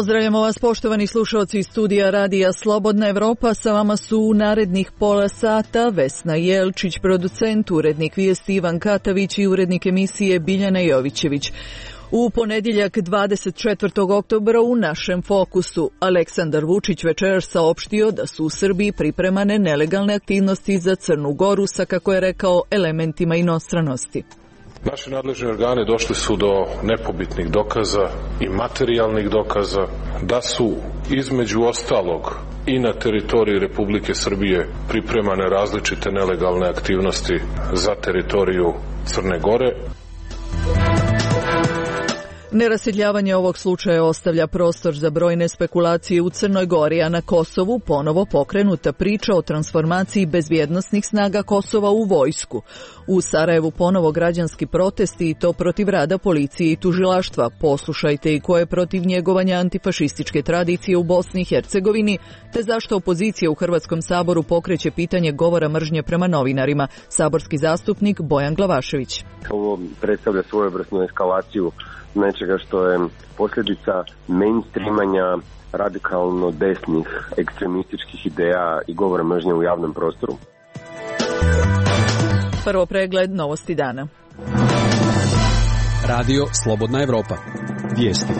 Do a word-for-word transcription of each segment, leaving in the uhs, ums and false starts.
Pozdravljamo vas, poštovani slušalci iz studija Radija Slobodna Evropa. Sa vama su u narednih pola sata Vesna Jelčić, producent, urednik vijesti Ivan Katavić i urednik emisije Biljana Jovićević. U ponedjeljak dvadeset četvrtog oktobra u našem fokusu Aleksandar Vučić večeras saopštio da su u Srbiji pripremane nelegalne aktivnosti za Crnu Goru sa, kako je rekao, elementima inostranosti. Naši nadležni organi došli su do nepobitnih dokaza i materijalnih dokaza da su između ostalog i na teritoriji Republike Srbije pripremane različite nelegalne aktivnosti za teritoriju Crne Gore. Nerasjedljavanje ovog slučaja ostavlja prostor za brojne spekulacije u Crnoj Gori, a na Kosovu ponovo pokrenuta priča o transformaciji bezbjednosnih snaga Kosova u vojsku. U Sarajevu ponovo građanski protesti i to protiv rada policije i tužilaštva. Poslušajte i ko je protiv njegovanja antifašističke tradicije u Bosni i Hercegovini, te zašto opozicija u Hrvatskom saboru pokreće pitanje govora mržnje prema novinarima. Saborski zastupnik Bojan Glavašević. Ovo predstavlja svojevrsnu eskalaciju nečega što je posljedica mainstreamanja radikalno desnih ekstremističkih ideja i govora mržnje u javnom prostoru. Prvo pregled novosti dana. Radio Slobodna Evropa. Vijesti.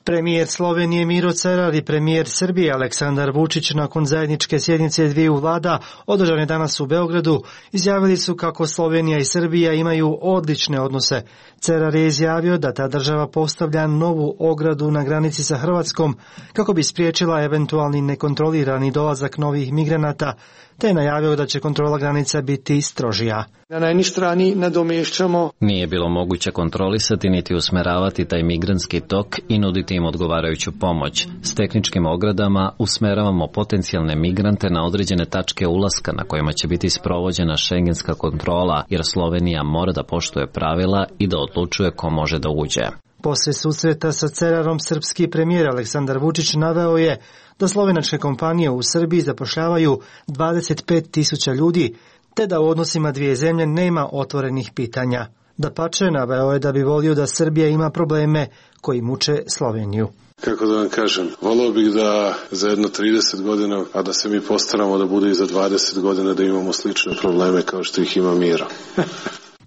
Premijer Slovenije Miro Cerar i premijer Srbije Aleksandar Vučić nakon zajedničke sjednice dviju vlada održane danas u Beogradu izjavili su kako Slovenija i Srbija imaju odlične odnose. Cerar je izjavio da ta država postavlja novu ogradu na granici sa Hrvatskom kako bi spriječila eventualni nekontrolirani dolazak novih migranata, te je najavio da će kontrola granica biti strožija. Na jednoj strani nadomješćamo. Nije bilo moguće kontrolisati niti usmeravati taj migrantski tok i nuditi im odgovarajuću pomoć. S tehničkim ogradama usmeravamo potencijalne migrante na određene tačke ulaska na kojima će biti sprovođena šengenska kontrola, jer Slovenija mora da poštuje pravila i da odlučuje ko može da uđe. Poslije susreta sa Cerarom srpski premijer Aleksandar Vučić naveo je da slovenačke kompanije u Srbiji zapošljavaju dvadeset pet tisuća ljudi, te da u odnosima dvije zemlje nema otvorenih pitanja. Dapače, naveo je da bi volio da Srbija ima probleme koji muče Sloveniju. Kako da vam kažem, volio bih da za jedno trideset godina, a da se mi postaramo da bude i za dvadeset godina da imamo slične probleme kao što ih ima Miro.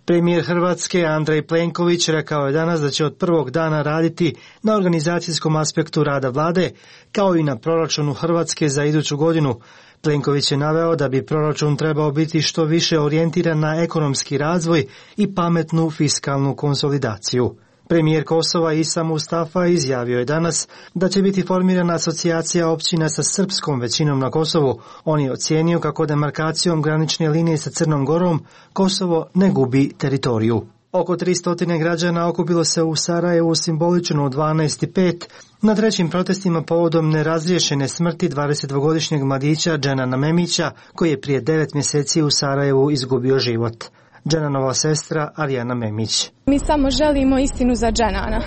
Premijer Hrvatske Andrej Plenković rekao je danas da će od prvog dana raditi na organizacijskom aspektu rada vlade, kao i na proračunu Hrvatske za iduću godinu. Plenković je naveo da bi proračun trebao biti što više orijentiran na ekonomski razvoj i pametnu fiskalnu konsolidaciju. Premijer Kosova Isa Mustafa izjavio je danas da će biti formirana asocijacija općina sa srpskom većinom na Kosovu. On je ocijenio kako demarkacijom granične linije sa Crnom Gorom Kosovo ne gubi teritoriju. Oko tristo građana okupilo se u Sarajevu simbolično u dvanaest i pet na trećim protestima povodom nerazriješene smrti dvadesetdvogodišnjeg mladića Dženana Memića, koji je prije devet mjeseci u Sarajevu izgubio život. Dženanova sestra Arijana Memić. Mi samo želimo istinu za Dženana.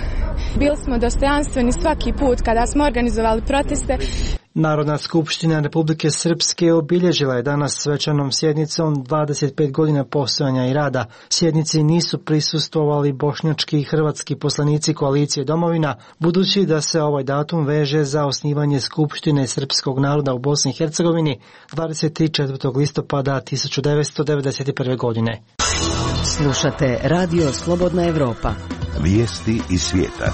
Bili smo dostojanstveni svaki put kada smo organizovali proteste. Narodna skupština Republike Srpske obilježila je danas svečanom sjednicom dvadeset pet godina postojanja i rada. Sjednici nisu prisustvovali bošnjački i hrvatski poslanici koalicije Domovina, budući da se ovaj datum veže za osnivanje Skupštine srpskog naroda u Bosni i Hercegovini dvadeset četvrtog listopada tisuću devetsto devedeset prve. godine. Slušate Radio Slobodna Evropa. Vijesti iz svijeta.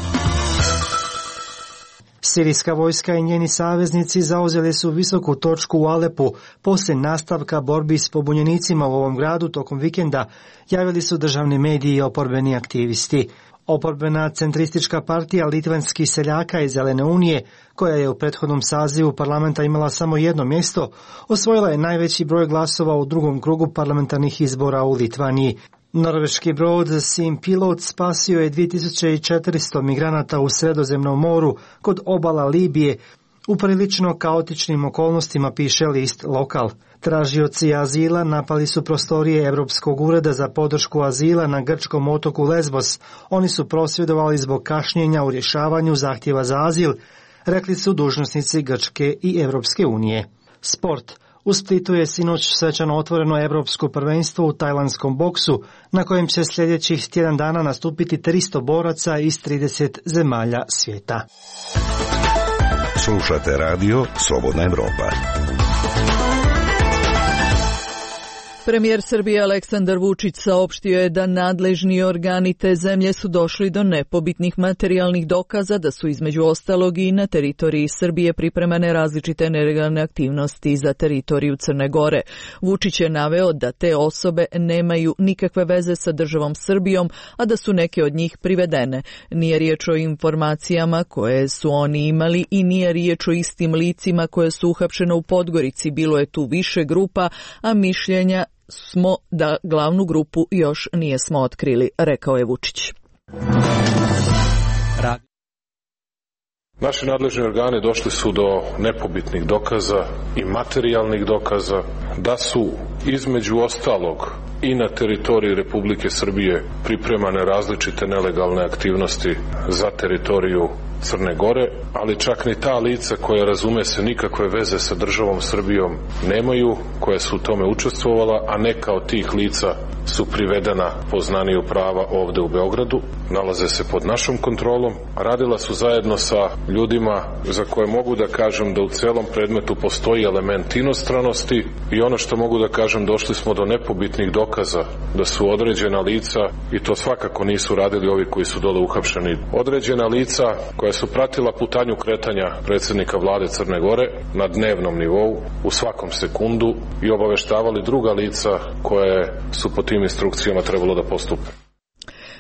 Sirijska vojska i njeni saveznici zauzeli su visoku točku u Alepu poslije nastavka borbi s pobunjenicima u ovom gradu tokom vikenda, javili su državni mediji i oporbeni aktivisti. Oporbena centristička partija Litvanskih seljaka iz Zelene unije, koja je u prethodnom sazivu parlamenta imala samo jedno mjesto, osvojila je najveći broj glasova u drugom krugu parlamentarnih izbora u Litvaniji. Norveški brod Sea Pilot spasio je dvije tisuće četiristo migranata u Sredozemnom moru kod obala Libije u prilično kaotičnim okolnostima, piše list Lokal. Tražioci azila napali su prostorije Europskog ureda za podršku azila na grčkom otoku Lesbos. Oni su prosvjedovali zbog kašnjenja u rješavanju zahtjeva za azil, rekli su dužnosnici Grčke i Europske unije. Sport. U Splitu je sinoć svečano otvoreno evropsko prvenstvo u tajlandskom boksu, na kojem će sljedećih tjedan dana nastupiti tristo boraca iz trideset zemalja svijeta. Slušate radio Slobodna Evropa. Premijer Srbije Aleksandar Vučić saopštio je da nadležni organi te zemlje su došli do nepobitnih materijalnih dokaza da su između ostalog i na teritoriji Srbije pripremane različite nelegalne aktivnosti za teritoriju Crne Gore. Vučić je naveo da te osobe nemaju nikakve veze sa državom Srbijom, a da su neke od njih privedene. Nije riječ o informacijama koje su oni imali i nije riječ o istim licima koje su uhapšene u Podgorici. Bilo je tu više grupa, a mišljenja smo da glavnu grupu još nije smo otkrili, rekao je Vučić. Naši nadležni organi došli su do nepobitnih dokaza i materijalnih dokaza da su između ostalog i na teritoriji Republike Srbije pripremane različite nelegalne aktivnosti za teritoriju Crne Gore, ali čak ni ta lica koja, razume se, nikakve veze sa državom Srbijom nemaju, koja su u tome učestvovala, a neka od tih lica su privedena po znaniju prava ovde u Beogradu, nalaze se pod našom kontrolom, radila su zajedno sa ljudima za koje mogu da kažem da u celom predmetu postoji element inostranosti i ono što mogu da kažem, došli smo do nepobitnih dokaza da su određena lica, i to svakako nisu radili ovi koji su dole uhapšeni, određena lica koja su pratila putanju kretanja predsjednika vlade Crne Gore na dnevnom nivou, u svakom sekundu, i obaveštavali druga lica koje su po tim instrukcijama trebalo da postupe.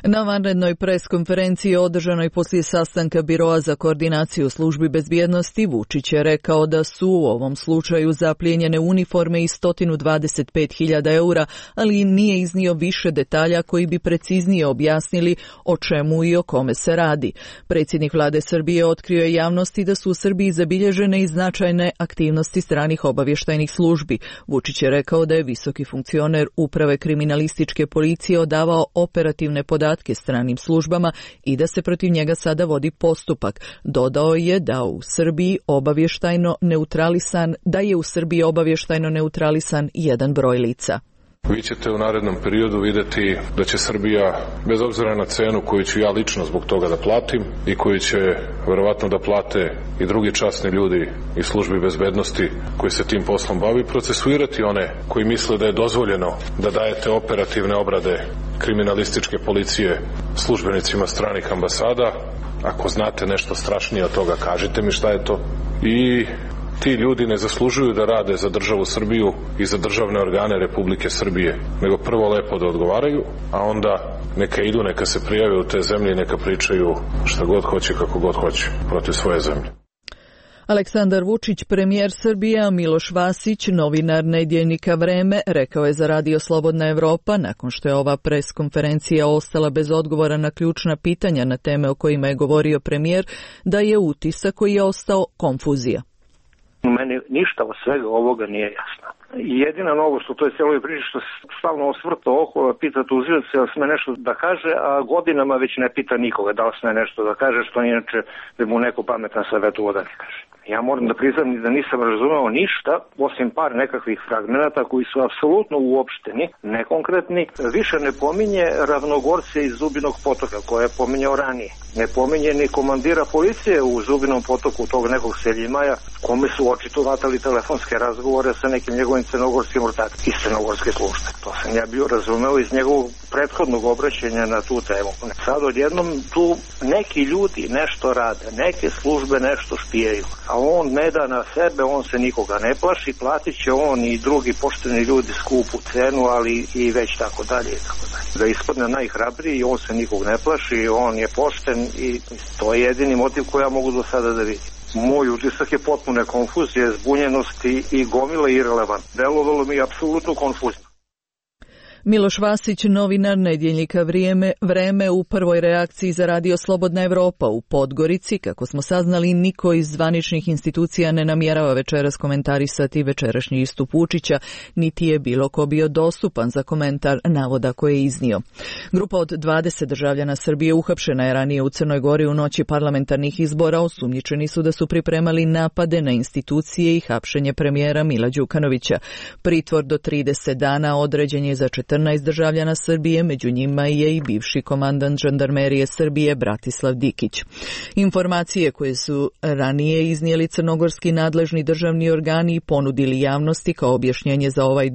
Na vanrednoj preskonferenciji održanoj poslije sastanka Biroa za koordinaciju službi bezbjednosti, Vučić je rekao da su u ovom slučaju zaplijenjene uniforme i sto dvadeset pet hiljada eura, ali nije iznio više detalja koji bi preciznije objasnili o čemu i o kome se radi. Predsjednik vlade Srbije otkrio je javnosti da su u Srbiji zabilježene i značajne aktivnosti stranih obavještajnih službi. Vučić je rekao da je visoki funkcioner uprave kriminalističke policije odavao operativne podatke stranim službama i da se protiv njega sada vodi postupak. Dodao je da u Srbiji obavještajno neutralisan, da je u Srbiji obavještajno neutralisan jedan broj lica. Vi ćete u narednom periodu vidjeti da će Srbija, bez obzira na cenu koju ću ja lično zbog toga da platim i koju će verovatno da plate i drugi časni ljudi iz službi bezbednosti koji se tim poslom bavi, procesuirati one koji misle da je dozvoljeno da dajete operativne obrade kriminalističke policije službenicima stranih ambasada. Ako znate nešto strašnije od toga, kažite mi šta je to. I ti ljudi ne zaslužuju da rade za državu Srbiju i za državne organe Republike Srbije, nego prvo lepo da odgovaraju, a onda neka idu, neka se prijave u te zemlje i neka pričaju šta god hoće, kako god hoće protiv svoje zemlje. Aleksandar Vučić, premijer Srbije, a Miloš Vasić, novinar nedjeljnika Vreme, rekao je za radio Slobodna Evropa, nakon što je ova preskonferencija ostala bez odgovora na ključna pitanja na teme o kojima je govorio premijer, da je utisak koji je ostao konfuzija. Meni ništa od svega ovoga nije jasno. Jedina novost u toj celoj priči što se stalno osvrta oko, pita tužioca da li sme nešto da kaže, a godinama već ne pita nikoga da li sme nešto da kaže, što inače da mu neko pametan savjetuo da ne kaže. Ja moram da priznam da nisam razumeo ništa, osim par nekakvih fragmenata koji su apsolutno uopšteni, nekonkretni. Više ne pominje Ravnogorce iz Zubinog potoka, koje je pominjao ranije. Ne pominje ni komandira policije u Zubinom potoku, tog nekog Seljimaja, kome su očito vatali telefonske razgovore sa nekim njegovim crnogorskim ortakom iz crnogorske službe. To sam ja bio razumeo iz njegovog prethodnog obraćanja na tu temu. Sad odjednom tu neki ljudi nešto rade, neke službe nešto špijaju, a on ne da na sebe, on se nikoga ne plaši, platit će on i drugi pošteni ljudi skupu cenu, ali i već tako dalje i tako dalje. Da ispadne najhrabriji, on se nikog ne plaši, on je pošten i to je jedini motiv koji ja mogu do sada da vidim. Moj utisak je potpune konfuzije, zbunjenosti i gomile irelevant. Delovalo mi je apsolutno konfuzno. Miloš Vasić, novinar nedjeljnika Vrijeme, Vreme, u prvoj reakciji za Radio Slobodna Evropa u Podgorici. Kako smo saznali, niko iz zvaničnih institucija ne namjerava večeras komentarisati večerašnji istup Vučića, niti je bilo ko bio dostupan za komentar navoda koje je iznio. Grupa od dvadeset državljana Srbije uhapšena je ranije u Crnoj Gori u noći parlamentarnih izbora. Osumnjičeni su da su pripremali napade na institucije i hapšenje premijera Mila Đukanovića. Pritvor do trideset dana određen je za četrnaest državljana Srbije, među njima je i bivši komandant žandarmerije Srbije Bratislav Dikić. Informacije koje su ranije iznijeli crnogorski nadležni državni organi i ponudili javnosti kao objašnjenje za ovaj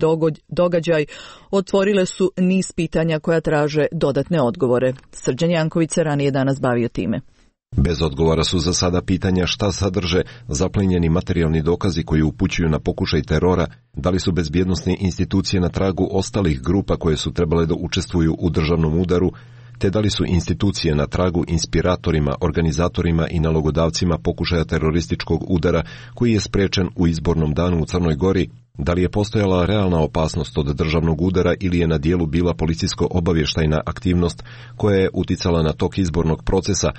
događaj otvorile su niz pitanja koja traže dodatne odgovore. Srđan Janković se ranije danas bavio time. Bez odgovora su za sada pitanja šta sadrže zaplenjeni materijalni dokazi koji upućuju na pokušaj terora, da li su bezbjednosne institucije na tragu ostalih grupa koje su trebale da učestvuju u državnom udaru, te da li su institucije na tragu inspiratorima, organizatorima i nalogodavcima pokušaja terorističkog udara koji je sprečen u izbornom danu u Crnoj Gori, da li je postojala realna opasnost od državnog udara ili je na dijelu bila policijsko-obavještajna aktivnost koja je uticala na tok izbornog procesa.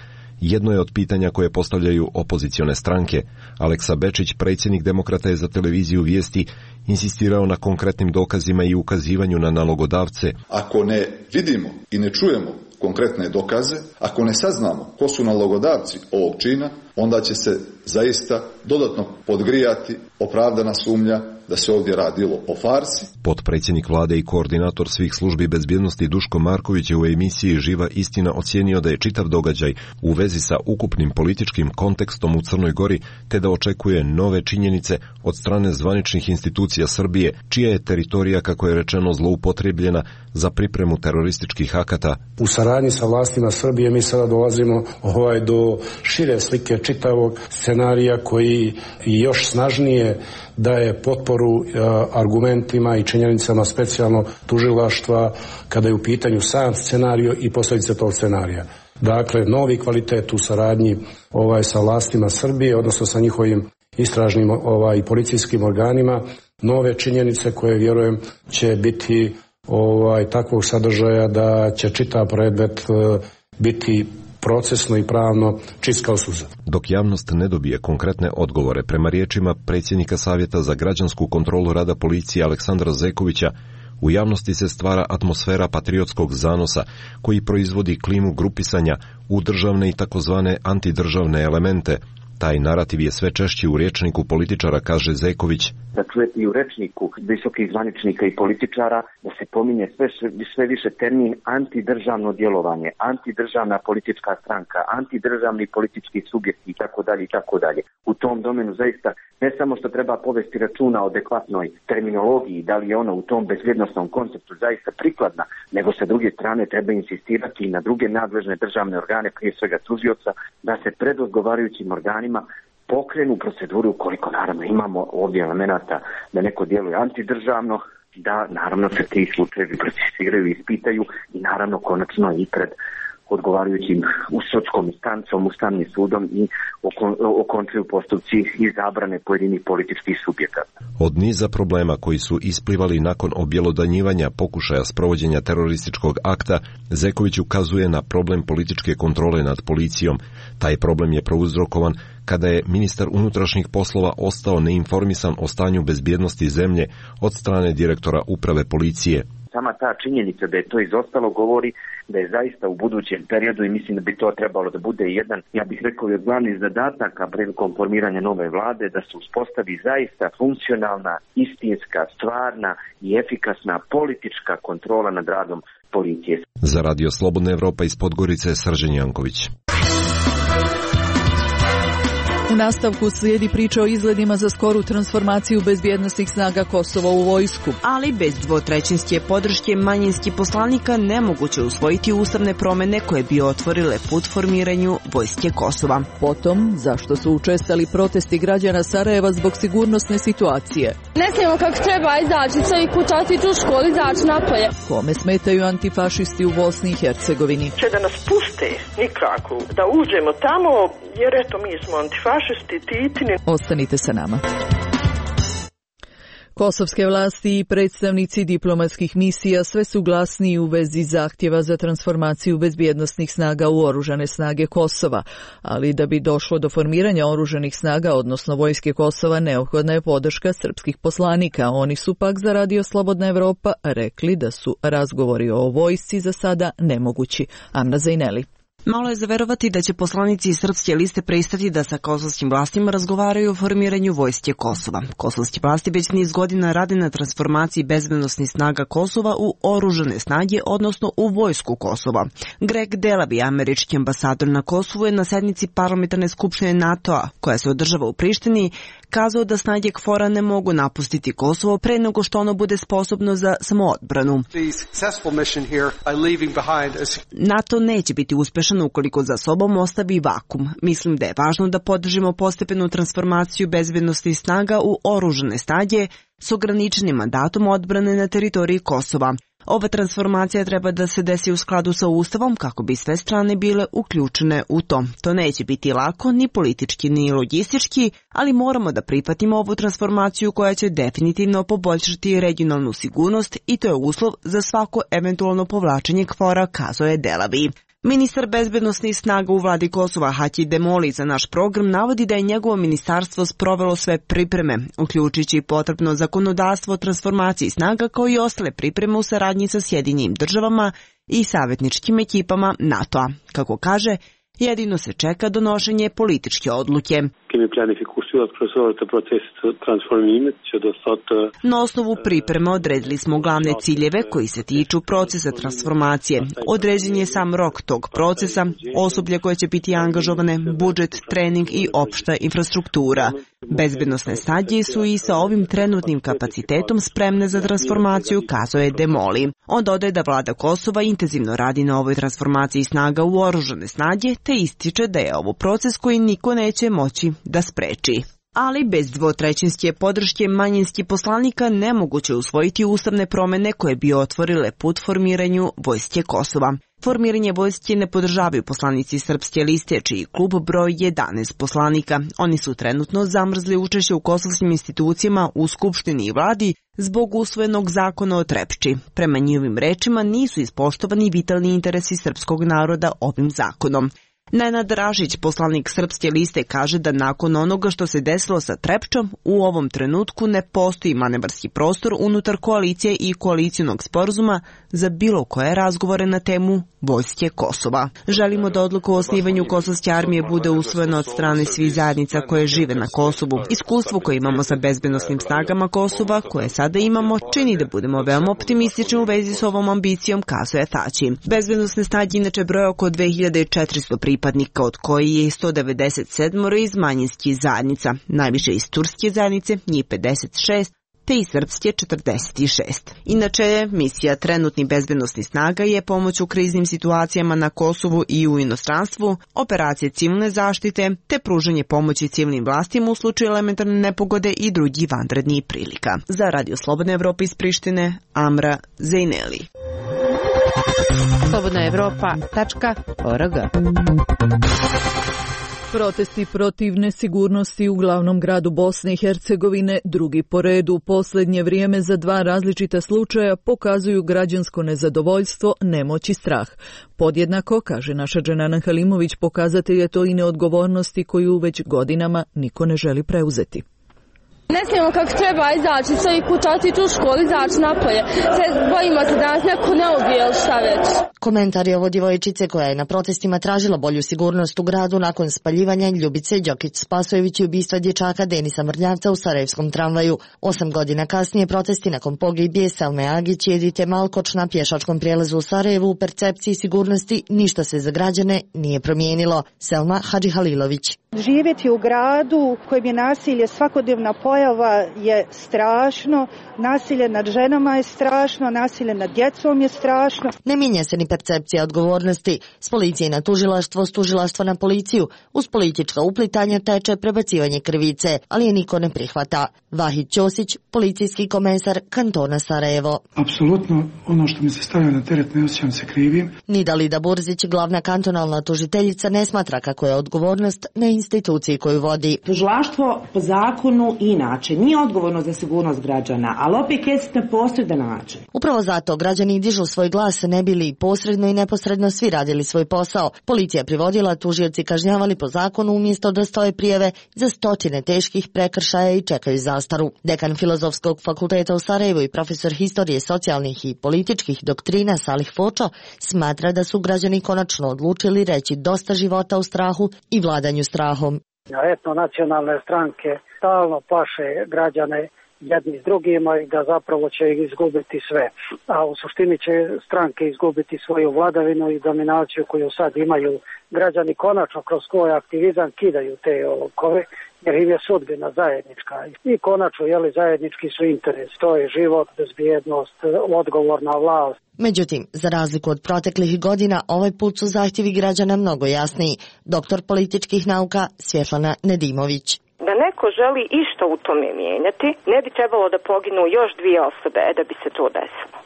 Jedno je od pitanja koje postavljaju opozicione stranke. Aleksa Bečić, predsjednik Demokrata, je za televiziju Vijesti insistirao na konkretnim dokazima i ukazivanju na nalogodavce. Ako ne vidimo i ne čujemo konkretne dokaze, ako ne saznamo ko su nalogodavci ovog čina, onda će se zaista dodatno podgrijati opravdana sumnja da se ovdje radilo o farsi. Potpredsjednik vlade i koordinator svih službi bezbjednosti Duško Marković je u emisiji Živa istina ocijenio da je čitav događaj u vezi sa ukupnim političkim kontekstom u Crnoj Gori, te da očekuje nove činjenice od strane zvaničnih institucija Srbije, čija je teritorija, kako je rečeno, zloupotrebljena za pripremu terorističkih akata. U saradnji sa vlastima Srbije mi sada dolazimo ovaj, do šire slike čitavog scenarija koji još snažnije daje potporu e, argumentima i činjenicama specijalnog tužilaštva kada je u pitanju sam scenario i posljedice tog scenarija. Dakle, novi kvalitet u saradnji ovaj, sa vlastima Srbije, odnosno sa njihovim istražnim ovaj, i policijskim organima, nove činjenice koje, vjerujem, će biti ovaj, takvog sadržaja da će čitav predmet e, biti procesno i pravno čist kao suza. Dok javnost ne dobije konkretne odgovore, prema riječima predsjednika Savjeta za građansku kontrolu rada policije Aleksandra Zekovića, u javnosti se stvara atmosfera patriotskog zanosa koji proizvodi klimu grupisanja u državne i takozvane antidržavne elemente. Taj narativ je sve češći u rječniku političara, kaže Zeković. Da čujete i u rečniku visokih zvaničnika i političara da se pominje sve, sve više termin antidržavno djelovanje, antidržavna politička stranka, antidržavni politički subjekti i tako dalje i tako dalje. U tom domenu zaista ne samo što treba povesti računa o adekvatnoj terminologiji, da li je ona u tom bezbjednosnom konceptu zaista prikladna, nego sa druge strane treba insistirati i na druge nadležne državne organe, prije svega tužioca, da se pred odgovarajućim organima pokrenu proceduru, koliko naravno imamo ovdje elemenata da neko djeluje antidržavno, da naravno se ti slučajevi procesuiraju i ispitaju i naravno konačno i pred odgovarajućim u sudskom instancom, ustavnim sudom i okončuju postupci i zabrane pojedinih političkih subjekata. Od niza problema koji su isplivali nakon objelodanjivanja pokušaja sprovođenja terorističkog akta, Zeković ukazuje na problem političke kontrole nad policijom. Taj problem je prouzrokovan kada je ministar unutrašnjih poslova ostao neinformisan o stanju bezbjednosti zemlje od strane direktora uprave policije. Sama ta činjenica da je to izostalo govori da je zaista u budućem periodu, i mislim da bi to trebalo da bude jedan, ja bih rekao, od glavnih zadataka prilikom formiranja nove vlade, da se uspostavi zaista funkcionalna, istinska, stvarna i efikasna politička kontrola nad radom policije. Za Radio Slobodna Evropa iz Podgorice, Srđan Janković. U nastavku slijedi priča o izgledima za skoru transformaciju bezbjednosnih snaga Kosova u vojsku. Ali bez dvotrećinske podrške manjinskih poslanika nemoguće usvojiti ustavne promjene koje bi otvorile put formiranju vojske Kosova. Potom, zašto su učestali protesti građana Sarajeva zbog sigurnosne situacije? Ne smijemo kako treba izaći i kućati u školi, izaći napolje. Kome smetaju antifašisti u Bosni i Hercegovini? Će da nas puste nikako, da uđemo tamo, jer eto mi smo antifašisti. Ostanite sa nama. Kosovske vlasti i predstavnici diplomatskih misija sve su glasniji u vezi zahtjeva za transformaciju bezbjednosnih snaga u oružane snage Kosova, ali da bi došlo do formiranja oružanih snaga, odnosno vojske Kosova, neophodna je podrška srpskih poslanika. Oni su pak za Radio Slobodna Evropa rekli da su razgovori o vojsci za sada nemogući. Amna Zajneli. Malo je zaverovati da će poslanici Srpske liste pristati da sa kosovskim vlastima razgovaraju o formiranju vojske Kosova. Kosovski vlasti već niz godina rade na transformaciji bezbednosnih snaga Kosova u oružane snage, odnosno u vojsku Kosova. Greg Delaby, američki ambasador na Kosovu, je na sednici parlamentarne skupštine NATO-a, koja se održava u Prištini, kazao da snage K F O R-a ne mogu napustiti Kosovo pre nego što ono bude sposobno za samoodbranu. NATO neće biti uspešan ukoliko za sobom ostavi vakum. Mislim da je važno da podržimo postepenu transformaciju bezbednosnih snaga u oružane snage s ograničenim mandatom odbrane na teritoriji Kosova. Ova transformacija treba da se desi u skladu sa Ustavom kako bi sve strane bile uključene u to. To neće biti lako, ni politički, ni logistički, ali moramo da prihvatimo ovu transformaciju koja će definitivno poboljšati regionalnu sigurnost i to je uslov za svako eventualno povlačenje K F O R-a, kazao je Delaby. Ministar bezbednosnih snaga u vladi Kosova Haki Demoli za naš program navodi da je njegovo ministarstvo sprovelo sve pripreme, uključujući potrebno zakonodavstvo o transformaciji snaga kao i ostale pripreme u saradnji sa Sjedinjenim državama i savjetničkim ekipama NATO-a. Kako kaže, jedino se čeka donošenje političke odluke. Na osnovu pripreme odredili smo glavne ciljeve koji se tiču procesa transformacije. Određen je sam rok tog procesa, osoblje koje će biti angažovane, budžet, trening i opšta infrastruktura. Bezbednosne snage su i sa ovim trenutnim kapacitetom spremne za transformaciju, kazao je Demoli. On dodaje da vlada Kosova intenzivno radi na ovoj transformaciji snaga u oružane snage, te ističe da je ovo proces koji niko neće moći da spreči. Ali bez dvotrećinske podrške manjinskih poslanika nemoguće usvojiti ustavne promene koje bi otvorile put formiranju vojske Kosova. Formiranje vojske ne podržavaju poslanici Srpske liste, čiji klub broj jedanaest poslanika. Oni su trenutno zamrzli učešće u kosovskim institucijama u Skupštini i vladi zbog usvojenog zakona o Trepči. Prema njihovim rečima nisu ispoštovani vitalni interesi srpskog naroda ovim zakonom. Nenad Rašić, poslanik Srpske liste, kaže da nakon onoga što se desilo sa Trepčom, u ovom trenutku ne postoji manevarski prostor unutar koalicije i koalicijonog sporazuma za bilo koje razgovore na temu vojske Kosova. Želimo da odluka o osnivanju Kosovske armije bude usvojena od strane svih zajednica koje žive na Kosovu. Iskustvo koje imamo sa bezbednosnim snagama Kosova, koje sada imamo, čini da budemo veoma optimistični u vezi s ovom ambicijom, kazuje Tači. Bezbednosne snage inače broje oko dve hiljade četiristo pripadnika, od koji je sto devedeset sedam iz manjinskih zajednica, najviše iz turske zajednice, njih pedeset šest, te iz srpske četrdeset šest. Inače, misija trenutnih bezbednosnih snaga je pomoć u kriznim situacijama na Kosovu i u inostranstvu, operacije civilne zaštite, te pružanje pomoći civilnim vlastima u slučaju elementarne nepogode i drugih vanrednih prilika. Za Radio Slobodna Evropa iz Prištine, Amra Zajneli. slobodna evropa tačka org. Protesti protiv nesigurnosti u glavnom gradu Bosne i Hercegovine, drugi po redu u posljednje vrijeme za dva različita slučaja, pokazuju građansko nezadovoljstvo, nemoć i strah. Podjednako, kaže naša Dženana Halimović, pokazatelj je to i neodgovornosti koju već godinama niko ne želi preuzeti. Ne smijemo kako treba izaći, sve i kuća otići u školu, izaći napolje. Sve bojimo se da nas neko ne ubije ili šta već. Komentar je ovo djevojčice koja je na protestima tražila bolju sigurnost u gradu nakon spaljivanja Ljubice Đokić-Spasojević i ubistva dječaka Denisa Mrnjavca u sarajevskom tramvaju. Osam godina kasnije protesti nakon pogibije Selme Agić i Edite Malkoč na pješačkom prijelazu u Sarajevu u percepciji sigurnosti ništa se za građane nije promijenilo. Selma Hadžihalilović. Živjeti u gradu kojem je nasilje svakodnevna pojava je strašno, nasilje nad ženama je strašno, nasilje nad djecom je strašno. Ne mijenja se ni percepcija odgovornosti. S policije na tužilaštvo, s tužilaštva na policiju, uz politička uplitanja teče prebacivanje krivice, ali je niko ne prihvata. Vahid Ćosić, policijski komesar kantona Sarajevo. Apsolutno ono što mi se stavlja na teret ne osjećam se krivim. Nidalida Burzić, glavna kantonalna tužiteljica, ne smatra kako je odgovornost na instituciji koju vodi. Tužilaštvo po zakonu inače nije odgovorno za sigurnost građana, ali opet jest na posredan način. Upravo zato građani dižu svoj glas ne bi li posredno i neposredno svi radili svoj posao. Policija privodila, tužioci kažnjavali po zakonu umjesto da stoje prijave za stotine teških prekršaja i čekaju zastaru. Dekan Filozofskog fakulteta u Sarajevu i profesor historije socijalnih i političkih doktrina Salih Fočo smatra da su građani konačno odlučili reći dosta života u strahu i vladanju strahom. Etno-nacionalne stranke stalno plaše građane jedni s drugima i da zapravo će ih izgubiti sve. A u suštini će stranke izgubiti svoju vladavinu i dominaciju koju sad imaju. Građani konačno kroz svoj aktivizam kidaju te okove jer im je sudbina zajednička. I konačno jeli, zajednički su interes. To je život, bezbjednost, odgovorna vlast. Međutim, za razliku od proteklih godina, ovaj put su zahtjevi građana mnogo jasniji. Doktor političkih nauka Svjetlana Nedimović. Da neko želi išta u tome mijenjati, ne bi trebalo da poginu još dvije osobe da bi se to desilo.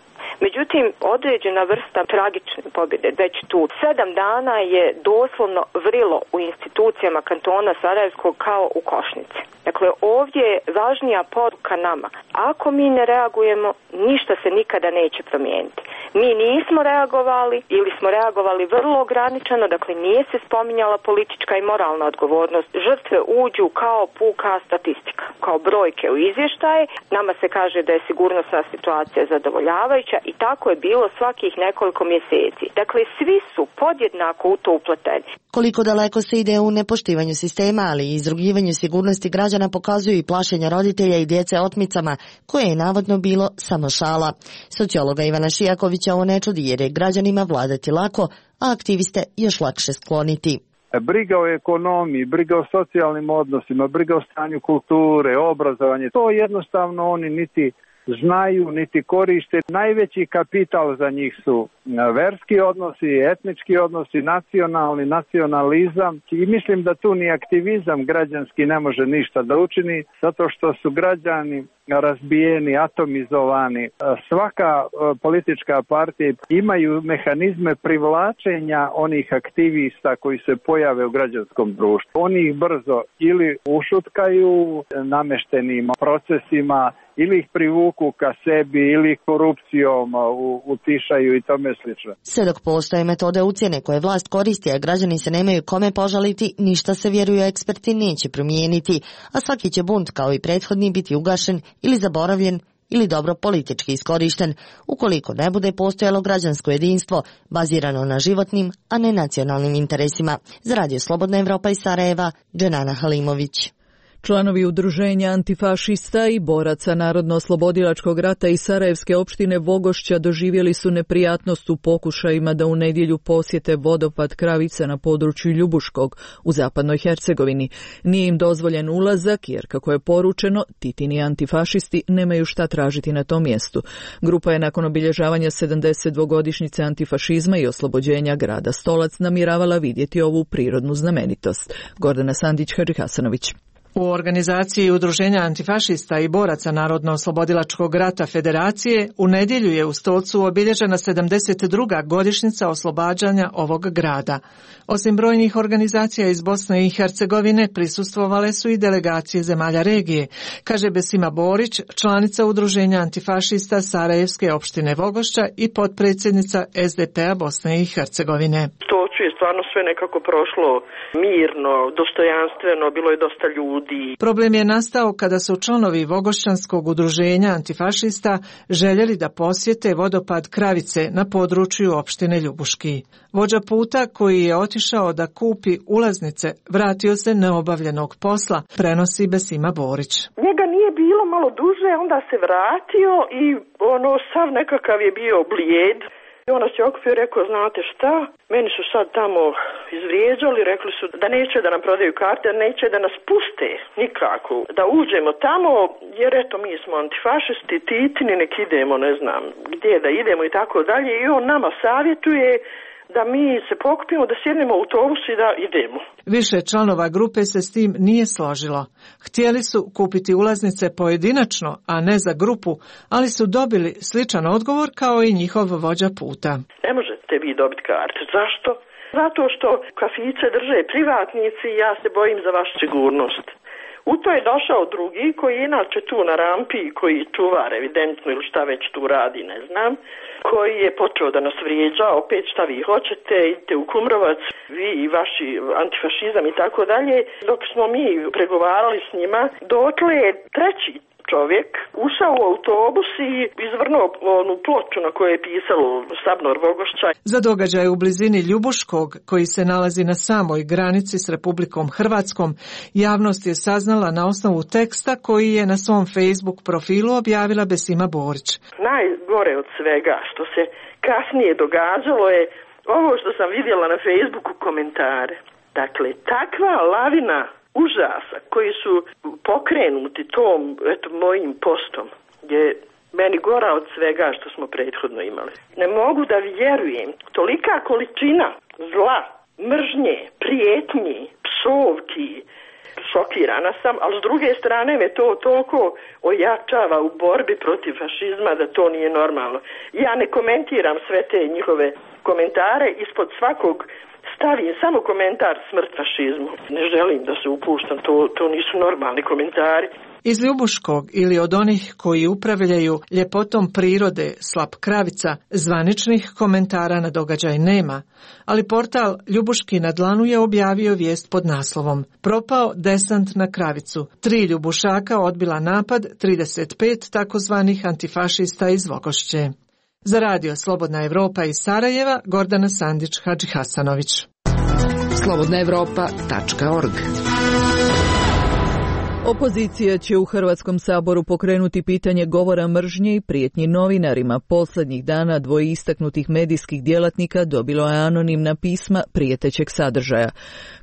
Međutim, određena vrsta tragične pobjede već tu. Sedam dana je doslovno vrilo u institucijama kantona Sarajevskog kao u košnici. Dakle, ovdje je važnija poruka nama. Ako mi ne reagujemo, ništa se nikada neće promijeniti. Mi nismo reagovali ili smo reagovali vrlo ograničeno, dakle nije se spominjala politička i moralna odgovornost. Žrtve uđu kao puka statistika, kao brojke u izvještaje. Nama se kaže da je sigurnosna situacija zadovoljavajuća i tako je bilo svakih nekoliko mjeseci. Dakle, svi su podjednako u to upleteni. Koliko daleko se ide u nepoštivanju sistema, ali i izrugivanju sigurnosti građana pokazuju i plašenja roditelja i djece otmicama, koje je navodno bilo samo šala. Sociologa Ivana Šijakovića ovo ne čudi jer je građanima vladati lako, a aktiviste još lakše skloniti. Briga o ekonomiji, briga o socijalnim odnosima, briga o stanju kulture, obrazovanje, to jednostavno oni niti znaju, niti koriste. Najveći kapital za njih su verski odnosi, etnički odnosi, nacionalni, nacionalizam i mislim da tu ni aktivizam građanski ne može ništa da učini, zato što su građani razbijeni, atomizovani. Svaka politička partija imaju mehanizme privlačenja onih aktivista koji se pojave u građanskom društvu. Oni ih brzo ili ušutkaju nameštenim procesima, ili ih privuku ka sebi, ili ih korupcijom utišaju i tome slično. Sve dok postoje metode ucjene koje vlast koristi, a građani se nemaju kome požaliti, ništa se, vjeruju eksperti, neće promijeniti, a svaki će bunt kao i prethodni biti ugašen ili zaboravljen ili dobro politički iskorišten, ukoliko ne bude postojalo građansko jedinstvo bazirano na životnim, a ne nacionalnim interesima. Za Radio Slobodna Evropa iz Sarajeva, Dženana Halimović. Članovi udruženja antifašista i boraca Narodno-oslobodilačkog rata iz Sarajevske opštine Vogošća doživjeli su neprijatnost u pokušajima da u nedjelju posjete vodopad Kravice na području Ljubuškog u zapadnoj Hercegovini. Nije im dozvoljen ulazak jer, kako je poručeno, Titini antifašisti nemaju šta tražiti na tom mjestu. Grupa je nakon obilježavanja sedamdesetdvogodišnjice antifašizma i oslobođenja grada Stolac namjeravala vidjeti ovu prirodnu znamenitost. Gordana Sandić-Hadži Hasanović. U organizaciji Udruženja antifašista i boraca Narodno-oslobodilačkog rata Federacije u nedjelju je u Stolcu obilježena sedamdeset druga godišnjica oslobađanja ovog grada. Osim brojnih organizacija iz Bosne i Hercegovine prisustvovale su i delegacije zemalja regije, kaže Besima Borić, članica Udruženja antifašista Sarajevske opštine Vogošća i potpredsjednica S D P-a Bosne i Hercegovine. To je stvarno sve nekako prošlo mirno, dostojanstveno, bilo je dosta ljudi. Problem je nastao kada su članovi Vogošćanskog udruženja antifašista željeli da posjete vodopad Kravice na području opštine Ljubuški. Vođa puta koji je otišao da kupi ulaznice vratio se neobavljenog posla, prenosi Besima Borić. Njega nije bilo malo duže, onda se vratio i ono sav nekakav je bio blijed. I onda se okupio i rekao, znate šta, meni su sad tamo izvrijeđali, rekli su da neće da nam prodaju karte, da neće da nas puste nikako, da uđemo tamo, jer eto mi smo antifašisti, Titini, nek idemo, ne znam gdje da idemo i tako dalje. I on nama savjetuje da mi se pokupimo, da sjednemo u autobus i da idemo. Više članova grupe se s tim nije složilo. Htjeli su kupiti ulaznice pojedinačno, a ne za grupu, ali su dobili sličan odgovor kao i njihov vođa puta. Ne možete vi dobiti karte. Zašto? Zato što kafiće drže privatnici i ja se bojim za vašu sigurnost. U to je došao drugi koji je inače tu na rampi, koji čuvar evidentno ili šta već tu radi, ne znam, koji je počeo da nas vrijeđa, opet šta vi hoćete, idite u Kumrovac, vi i vaši antifašizam i tako dalje. Dok smo mi pregovarali s njima, dotle je treći čovjek ušao u autobus i izvrnuo onu ploču na kojoj je pisalo Sabnor Vogošća. Za događaj u blizini Ljubuškog, koji se nalazi na samoj granici s Republikom Hrvatskom, javnost je saznala na osnovu teksta koji je na svom Facebook profilu objavila Besima Borić. Najgore od svega što se kasnije događalo je ovo što sam vidjela na Facebooku komentare. Dakle, takva lavina užasa koji su pokrenuti tom eto, mojim postom je meni gora od svega što smo prethodno imali. Ne mogu da vjerujem. Tolika količina zla, mržnje, prijetnji, psovki, šokirana sam, ali s druge strane me to toliko ojačava u borbi protiv fašizma da to nije normalno. Ja ne komentiram sve te njihove komentare, ispod svakog stavim samo komentar smrt fašizmu. Ne želim da se upuštam, to, to nisu normalni komentari. Iz Ljubuškog ili od onih koji upravljaju ljepotom prirode Slap Kravica zvaničnih komentara na događaj nema, ali portal Ljubuški na dlanu je objavio vijest pod naslovom Propao desant na Kravicu. Tri Ljubušaka odbila napad, trideset pet takozvanih antifašista iz Vogošće. Za radio Slobodna Evropa iz Sarajeva, Gordana Sandić-Hadžihasanović. slobodna evropa tačka org. Opozicija će u Hrvatskom saboru pokrenuti pitanje govora mržnje i prijetnji novinarima. Posljednjih dana dvoje istaknutih medijskih djelatnika dobilo je anonimna pisma prijetećeg sadržaja.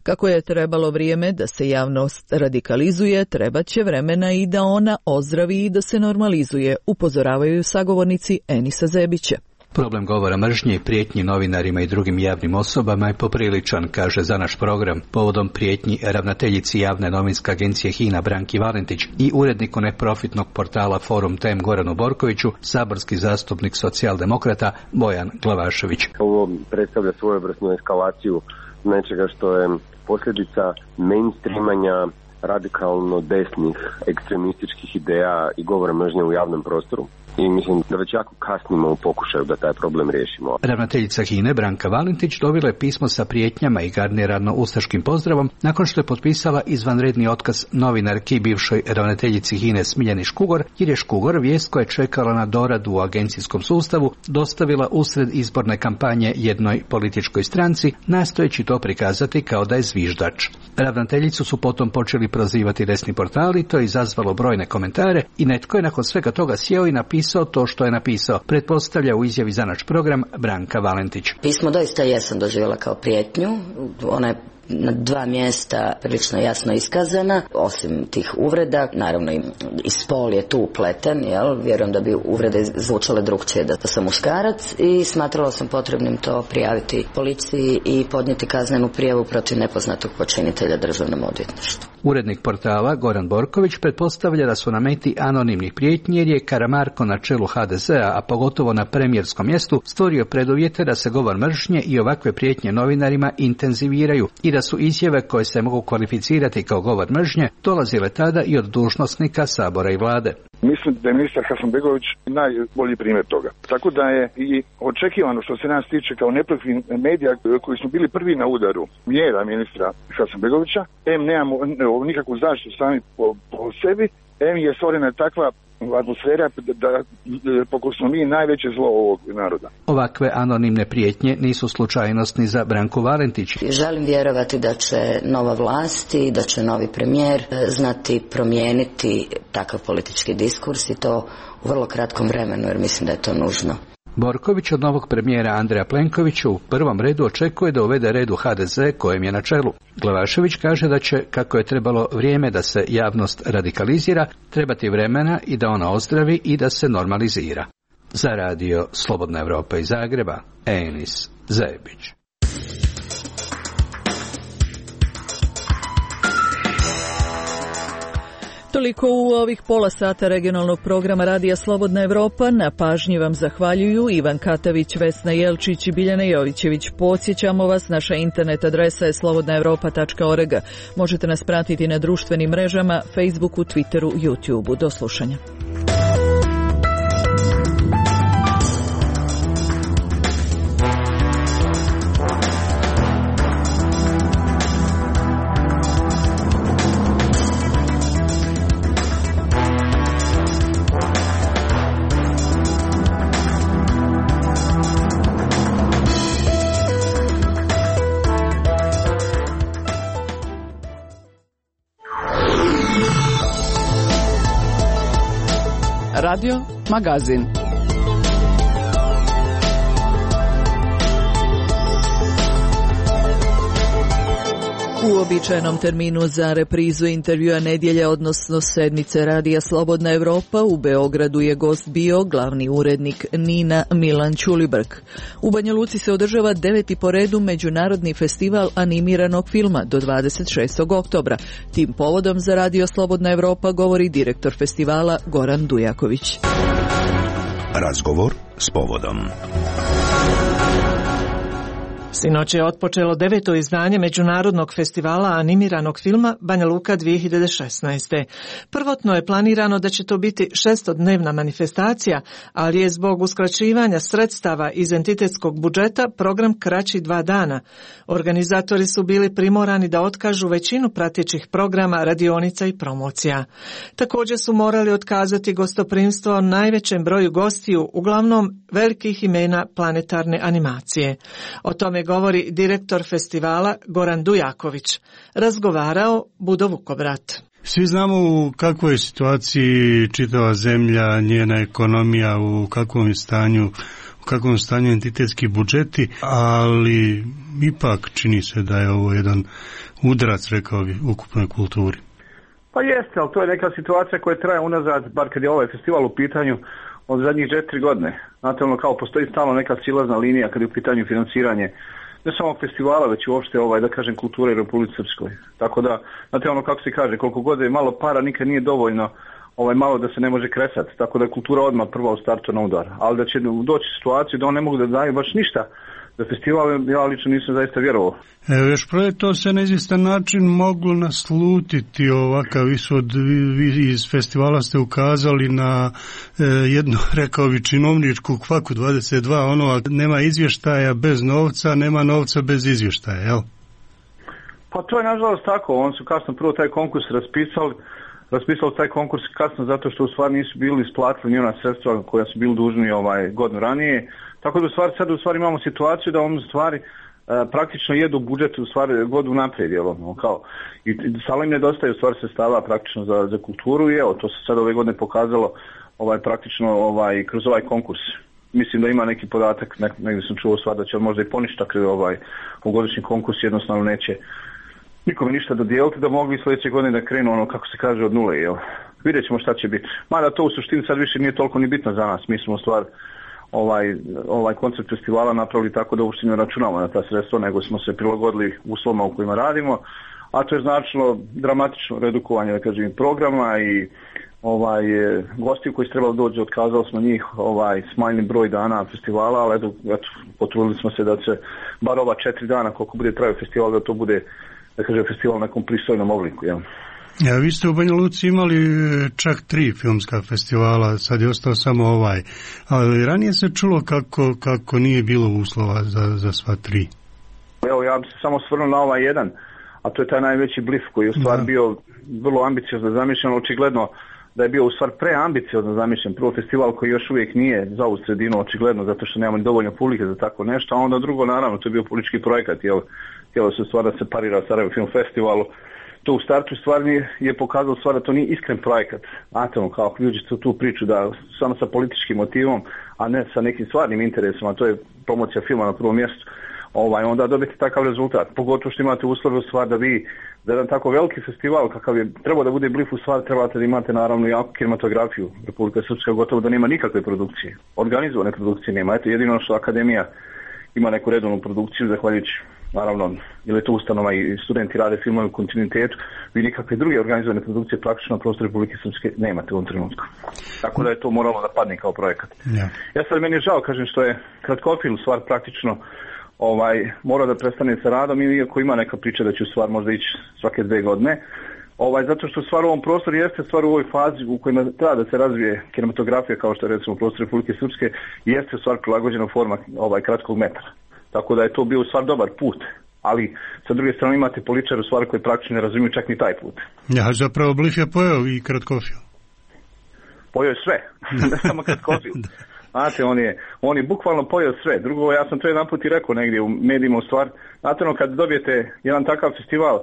Kako je trebalo vrijeme da se javnost radikalizuje, trebat će vremena i da ona ozdravi i da se normalizuje, upozoravaju sagovornici Enisa Zebića. Problem govora mržnje i prijetnji novinarima i drugim javnim osobama je popriličan, kaže za naš program, povodom prijetnji ravnateljici javne novinske agencije HINA Branki Valentić i uredniku neprofitnog portala Forum Tem Goranu Borkoviću, saborski zastupnik socijaldemokrata Bojan Glavašević. Ovo predstavlja svojevrsnu eskalaciju nečega što je posljedica mainstreamanja radikalno desnih ekstremističkih ideja i govora mržnje u javnom prostoru. I mislim da već jako kasnimo u pokušaju da taj problem riješimo. Ravnateljica HINE Branka Valentić dobila je pismo sa prijetnjama i garnirano ustaškim pozdravom nakon što je potpisala izvanredni otkaz novinarki i bivšoj ravnateljici HINE Smiljani Škugor, jer je Škugor vijest koja je čekala na doradu u agencijskom sustavu dostavila usred izborne kampanje jednoj političkoj stranci, nastojeći to prikazati kao da je zviždač. Ravnateljicu su potom počeli prozivati desni portali, to je izazvalo brojne komentare i netko je nakon svega toga sjeo i napisao to što je napisao, pretpostavlja u izjavi za naš program Branka Valentić. Pismo doista jesam doživjela kao prijetnju, ona je na dva mjesta prilično jasno iskazana, osim tih uvreda, naravno i spol je tu upleten, jel? Vjerujem da bi uvrede zvučale drugčije da sam muškarac i smatrala sam potrebnim to prijaviti policiji i podnijeti kaznenu prijavu protiv nepoznatog počinitelja državnom odvjetništvu. Urednik portala Goran Borković pretpostavlja da su na meti anonimnih prijetnji jer je Karamarko na čelu ha de zea, a pogotovo na premijerskom mjestu, stvorio preduvjete da se govor mržnje i ovakve prijetnje novinarima intenziviraju i da su izjave koje se mogu kvalificirati kao govor mržnje dolazile tada i od dužnosnika Sabora i vlade. Mislim da je ministar Hasanbegović najbolji primjer toga. Tako da je i očekivano što se nas tiče kao neprofitnih medija koji smo bili prvi na udaru mjera ministra Hasanbegovića, em nemamo nikakvu zaštitu sami po, po sebi, em je stvorena takva atmosfera da pokoj smo mi najveće zlo ovog naroda. Ovakve anonimne prijetnje nisu slučajnost ni za Branku Valentić. Želim vjerovati da će nova vlast i da će novi premijer znati promijeniti takav politički diskurs i to u vrlo kratkom vremenu, jer mislim da je to nužno. Borković od novog premijera Andreja Plenkovića u prvom redu očekuje da uvede red u ha de ze kojem je na čelu. Glavašević kaže da će, kako je trebalo vrijeme da se javnost radikalizira, trebati vremena i da ona ozdravi i da se normalizira. Za radio Slobodna Evropa iz Zagreba, Enis Zebić. Toliko u ovih pola sata regionalnog programa Radija Slobodna Evropa. Na pažnji vam zahvaljuju Ivan Katavić, Vesna Jelčić i Biljana Jovićević. Podsjećamo vas, naša internet adresa je slobodna evropa tačka org. Možete nas pratiti na društvenim mrežama, Facebooku, Twitteru, YouTubeu. Do slušanja. Radio Magazin. U uobičajenom terminu za reprizu intervjua nedjelje, odnosno sedmice Radija Slobodna Evropa, u Beogradu je gost bio glavni urednik Nina Milan Ćulibrk. U Banja Luci se održava deveti po redu Međunarodni festival animiranog filma do dvadeset šestog oktobra. Tim povodom za Radio Slobodna Evropa govori direktor festivala Goran Dujaković. Razgovor s povodom. Sinoć je otpočelo deveto izdanje Međunarodnog festivala animiranog filma Banja Luka dvije hiljade šesnaeste. Prvotno je planirano da će to biti šestodnevna manifestacija, ali je zbog uskraćivanja sredstava iz entitetskog budžeta program kraći dva dana. Organizatori su bili primorani da otkažu većinu pratećih programa, radionica i promocija. Također su morali otkazati gostoprimstvo najvećem broju gostiju, uglavnom velikih imena planetarne animacije. O tome govori direktor festivala Goran Dujaković. Razgovarao Budo Vukobrat. Svi znamo u kakvoj je situaciji čitava zemlja, njena ekonomija, u kakvom je stanju, u kakvom stanju entitetski budžeti, ali ipak čini se da je ovo jedan udarac, rekao bi, ukupnoj kulturi. Pa jeste, ali to je neka situacija koja traje unazad, bar kad je ovaj festival u pitanju, od zadnjih četiri godine. Znate, ono kao postoji stalno neka silazna linija kad je u pitanju financiranje ne samo festivala, već uopšte ovaj, da kažem, kulture u Republici Srpskoj. Tako da, znate, ono kako se kaže, koliko god je malo para, nikad nije dovoljno ovaj, malo da se ne može kresati. Tako da je kultura odmah prva u startu na udar. Ali da će doći situaciju da on ne mogu da daju baš ništa za festival, ja lično nisam zaista vjerovao. Evo, još prije to se na izvjestan način moglo naslutiti ovakav ishod. Vi iz festivala ste ukazali na e, jednu, rekao bi, činovničku kvaku dvadeset dva, ono, nema izvještaja bez novca, nema novca bez izvještaja, jel? Pa to je nažalost tako, oni su kasno prvo taj konkurs raspisali, raspisali taj konkurs kasno zato što u stvari nisu bili isplatili ni ona sredstva koja su bili dužni ovaj, godinu ranije. Tako da u stvari sad u stvari imamo situaciju da on u stvari e, praktično jedu budžet u stvari godinu naprijed, jel, ono, kao i sada im nedostaje u stvari sredstava praktično za, za kulturu i evo to se sad ove godine pokazalo ovaj praktično ovaj kroz ovaj konkurs. Mislim da ima neki podatak, nek, negdje sam čuo stvar da će možda i poništak ovaj u godišnji konkurs jednostavno neće nikome ništa dodijeliti da mogu i sljedeće godine da krenu ono kako se kaže od nule, jel. Vidjet ćemo šta će biti. Mada to u suštini sad više nije toliko ni bitno za nas, mi smo u stvari ovaj, ovaj koncept festivala napravili tako da uopšte ne računamo na ta sredstva, nego smo se prilagodili uslovima u kojima radimo, a to je značilo dramatično redukovanje, da kažem, programa i ovaj, gosti koji su trebali doći, otkazali smo njih, ovaj, smanjili broj dana festivala, ali eto, eto, potrudili smo se da se bar ova četiri dana koliko bude trajao festival, da to bude, da kažem, festival na nekom pristojnom obliku, jel? Ja, vi ste u Banja Luci imali čak tri filmska festivala, sad je ostao samo ovaj. Ali ranije se čulo kako, kako nije bilo uslova za, za sva tri. Evo, ja bih se samo svrnuo na ovaj jedan, a to je taj najveći Blif koji je u stvari bio vrlo ambiciozno zamišljen, očigledno da je bio u stvari preambiciozno zamišljen. Prvo festival koji još uvijek nije za ovu sredinu, očigledno, zato što nemamo dovoljno publike za tako nešto, a onda drugo, naravno, to je bio politički projekat, jel, htjelo se u stvari da se parira Sarajevo Film Festivalu. To u startu stvari je pokazalo stvar da to nije iskren projekat. Znate, kao ljudi su tu priču da samo sa političkim motivom, a ne sa nekim stvarnim interesom, a to je promocija filma na prvom mjestu, ovaj, onda dobijete takav rezultat. Pogotovo što imate uslove u stvar da vi, za jedan tako veliki festival kakav je trebao da bude Blif, u stvari trebate da imate naravno jako kinematografiju. Republika Srpska gotovo da nema nikakve produkcije. Organizovane produkcije nema. Eto, jedino što akademija ima neku redovnu produkciju, zahvaljujući, naravno, ili je to ustanova i studenti rade filmove u kontinuitetu, vi nikakve druge organizovane produkcije praktično na prostoru Republike Srpske nemate u ovom trenutku. Tako da je to moralo da padne kao projekat. Ja, ja sad meni je žao, kažem, što je kratkofilm stvar praktično ovaj, mora da prestane sa radom, iako ima neka priča da će u stvar možda ići svake dve godine, ovaj, zato što stvar u ovom prostoru jeste stvar u ovoj fazi u kojima treba da se razvije kinematografija, kao što je recimo prostor Republike Srpske, jeste stvar prilagođena forma ovaj, kratkog metra. Tako da je to bio stvar dobar put, ali sa druge strane imate političare u stvari koji praktično ne razumiju čak ni taj put. Ja, zapravo Blif je pojeo i kratkofilm. Pojeo je sve, ne samo kratkofilm. Znate, on je, on je bukvalno pojeo sve. Drugo, ja sam to jedan put i rekao negdje u medijima u stvar. Znate, ono, kad dobijete jedan takav festival uh,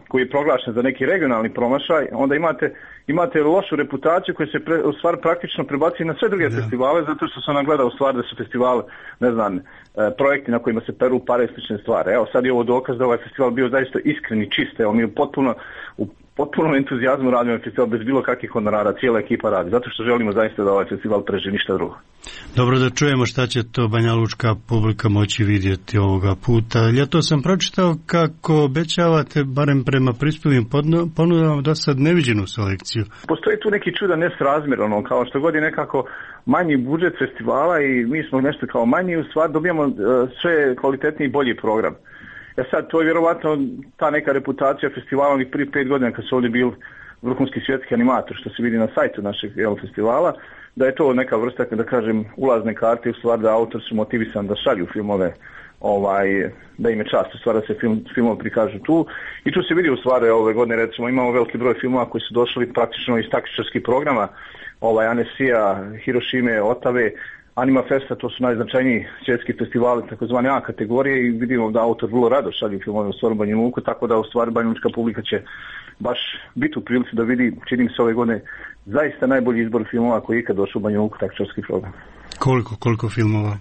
koji je proglašen za neki regionalni promašaj, onda imate, imate lošu reputaciju koja se pre, u stvar praktično prebaci na sve druge da. festivale, zato što sam nagledao u stvar da su festivali, ne znam, uh, projekti na kojima se peru pare i slične stvari. Evo, sad je ovo dokaz da ovaj festival bio zaista iskren i čist. Evo, mi je potpuno u potpuno entuzijazmu radimo festival bez bilo kakvih honorara, cijela ekipa radi, zato što želimo zaista da ovaj festival preživi, ništa drugo. Dobro, da čujemo šta će to banjalučka publika moći vidjeti ovoga puta. Ja to sam pročitao kako obećavate, barem prema prispjelim ponudama, da sad neviđenu selekciju. Postoji tu neki čudan nesrazmjer, ono, kao što god je nekako manji budžet festivala i mi smo nešto kao manji, u stvari dobijamo uh, sve kvalitetniji i bolji program. Ja sad, to je vjerovatno ta neka reputacija festivala onih prije pet godina kad su ovdje bili vrhunski svjetski animator, što se vidi na sajtu našeg jel, festivala, da je to neka vrsta, da kažem, ulazne karte, u stvari da autor su motivisan da šalju filmove, ovaj, da im je čast u stvari da se film, filmove prikažu tu. I tu se vidi u stvari ove godine, recimo, imamo veliki broj filmova koji su došli praktično iz taktičarskih programa, ovaj, Anesija, Hirošime, Otave, Anima Festa, to su najznačajniji svjetski festivali, takozvane A kategorije, i vidimo da autor vrlo rado šalju filmove u stvari Banja Luku, tako da u stvari banjalučka publika će baš biti u prilici da vidi, čini se ove godine, zaista najbolji izbor filmova koji je ikad došao u Banja Luku taktičarski program. Koliko, koliko filmova?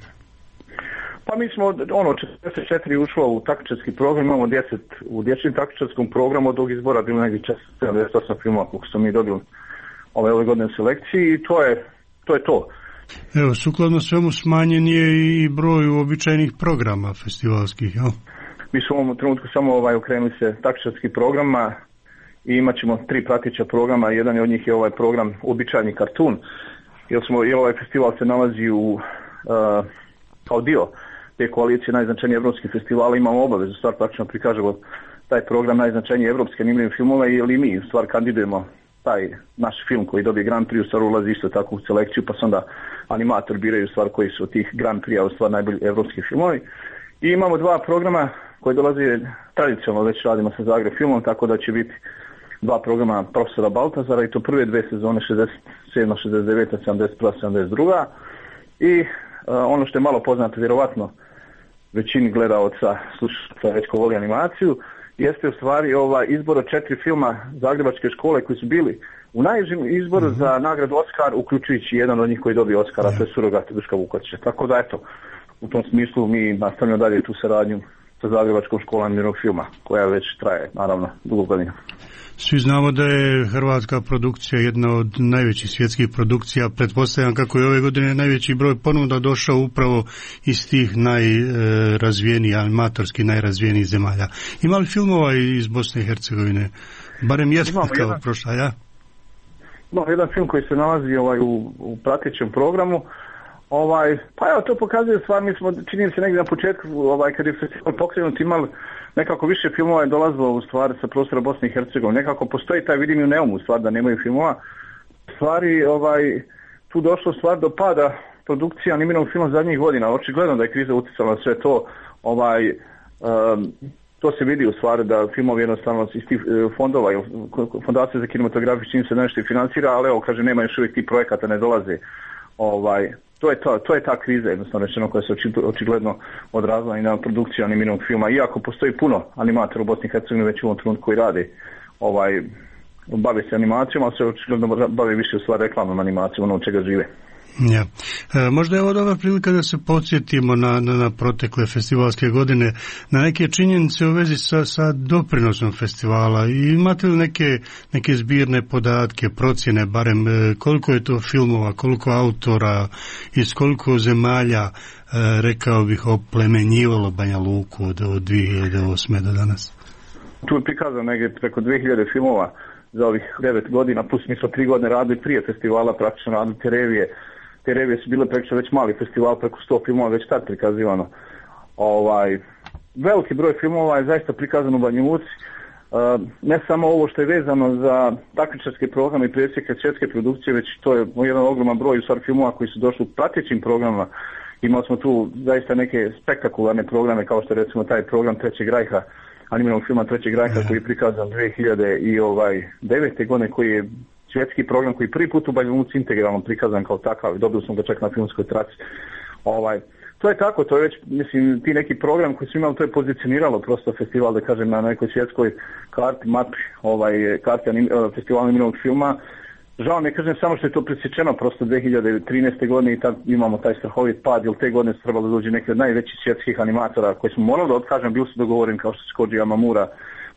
Pa mi smo, ono, četrdeset četiri ušlo u taktičarski program, imamo deset u dječjem taktičarskom programu, od ovog izbora bilo negdje sedamdeset osam filmova koliko smo mi dobili ove, ove godine u selekciji, i to je to. Je to. Evo, sukladno svemu smanjen je i broj uobičajenih programa festivalskih, jel? Mi smo u ovom trenutku samo ovaj, okrenuli se taktičarskih programa i imat ćemo tri prateća programa. Jedan od njih je ovaj program Uobičajeni kartun, jer, smo, jer ovaj festival se nalazi u, uh, kao dio te koalicije najznačajnije evropskih festivala. Imamo obavezu stvar praktično prikažemo taj program najznačajnije evropske animirane filmove, jer i mi u stvar kandidujemo taj naš film koji dobije Grand Prix, u stvar ulazi isto tako u selekciju, pa se onda animator biraju stvar koji su od tih Grand Prix, u stvar najbolji evropski filmovi. I imamo dva programa koji dolaze tradicionalno, već radimo sa Zagreb filmom, tako da će biti dva programa profesora Baltazara, i to prve dve sezone šezdeset sedma, šezdeset deveta, sedamdeset prva, sedamdeset druga. I uh, ono što je malo poznato, vjerovatno većini gledaoca, slušaca već ko voli animaciju, jeste u stvari ovaj izbor od četiri filma Zagrebačke škole koji su bili u najžim izboru mm-hmm. za nagradu Oskar, uključujući jedan od njih koji dobio Oskara, yeah. to je Surogat Duška Vukotića. Tako da eto, u tom smislu mi nastavljamo dalje tu saradnju sa Zagrebačkom školom animiranog filma, koja već traje, naravno, dugo godina. Svi znamo da je hrvatska produkcija jedna od najvećih svjetskih produkcija. Pretpostavljam kako je ove godine najveći broj ponuda došao upravo iz tih najrazvijenijih, animatorski najrazvijenijih zemalja. Ima li filmova iz Bosne i Hercegovine? Barem jedan kao jedan, prošla, ja? Imamo jedan film koji se nalazi ovaj, u, u pratećem programu. Ovaj, pa evo, to pokazuje stvar, mi smo, čini se negdje na početku, ovaj, kad je festival pokrenut, imali nekako više filmova je dolazilo u stvari sa prostora Bosne i Hercegovine. Nekako postoji taj, vidim i u Neumu, stvar da nemaju filmova. Stvari, ovaj, tu došlo stvar do pada produkcije animiranog filma zadnjih godina. Očigledno da je kriza utjecala na sve to. Ovaj, um, to se vidi u stvari da filmovi jednostavno iz tih fondova, fondacije za kinematografiju čini se nešto i financira, ali evo, kaže, nema još uvijek tih projekata, ne dolaze. Ovaj, to je to, to je ta kriza jednostavno rečeno koja se očigledno odrazila i na produkciju animiranog filma. Iako postoji puno animatora u Bosni i Hercegovini već u ovom trenutku koji rade, ovaj, bave se animacijom, ali se očigledno bave više u stvari reklamnom animacijom, ono od čega žive. Ja. E, možda je ovo dobra prilika da se podsjetimo na, na, na protekle festivalske godine, na neke činjenice u vezi sa, sa doprinosom festivala. I imate li neke, neke zbirne podatke, procjene, barem koliko je to filmova, koliko autora, iz koliko zemalja, e, rekao bih, oplemenjivalo Banja Luku od, od dvije hiljade osme do danas? Tu je prikazano negdje preko dvije hiljade filmova za ovih devet godina, plus mi smo tri godine radili prije festivala, praktično radili te revije. Te revije su bile praktično već mali festival, preko sto filmova već tad prikazivano. Ovaj, veliki broj filmova je zaista prikazano u Banja Luci. Uh, ne samo ovo što je vezano za takmičarske programe i presjeke svjetske produkcije, već to je jedan ogroman broj u stvari filmova koji su došli u pratećim programima. Imali smo tu zaista neke spektakularne programe, kao što je recimo taj program Trećeg rajha, animiranog filma Trećeg rajha, koji je prikazan dvije hiljade devete godine, koji je svjetski program koji je prvi put u Banja Luci integralno prikazan kao takav i dobili smo ga čak na filmskoj traci. Ovaj, to je tako, to je već, mislim, ti neki program koji su imali, to je pozicioniralo prosto festival, da kažem, na nekoj svjetskoj karti, mapi, ovaj, karti anim, festivala animiranog filma. Žao mi je, kažem, samo što je to presječeno prosto dvije hiljade trinaeste godine i tad imamo taj strahovit pad, jer te godine su trebalo dođe neki od najvećih svjetskih animatora koji smo morali da otkažem, bili su dogovoreni kao što su Koji Yamamura,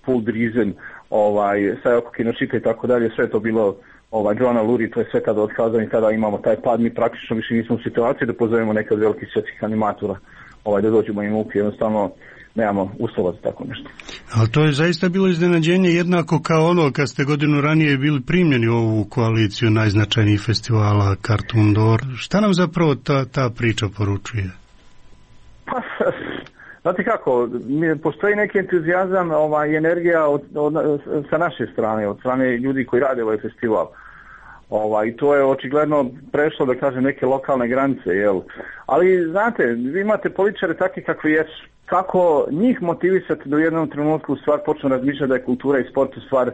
Paul Driesen, ovaj, Sayoko Kinoshita i tako dalje, sve je to bilo ovaj, Joanna Luri, to je sve tada otkazano i tada imamo taj pad, mi praktično više nismo u situaciji da pozovemo neke od velikih svjetskih animatora ovaj, da dođemo im upi, jednostavno nemamo uslova za tako nešto. Ali to je zaista bilo iznenađenje jednako kao ono kad ste godinu ranije bili primljeni u ovu koaliciju najznačajnijih festivala Cartoon Door. Šta nam zapravo ta, ta priča poručuje? Pa, znate kako, postoji neki entuzijazam ovaj, i energija od, od, sa naše strane, od strane ljudi koji rade ovaj festival. Ovaj, to je očigledno prešlo, da kažem, neke lokalne granice, jel? Ali, znate, vi imate političare takvi kakvi jesu. Kako njih motivisati da u jednom trenutku stvar počnu razmišljati da je kultura i sport u stvar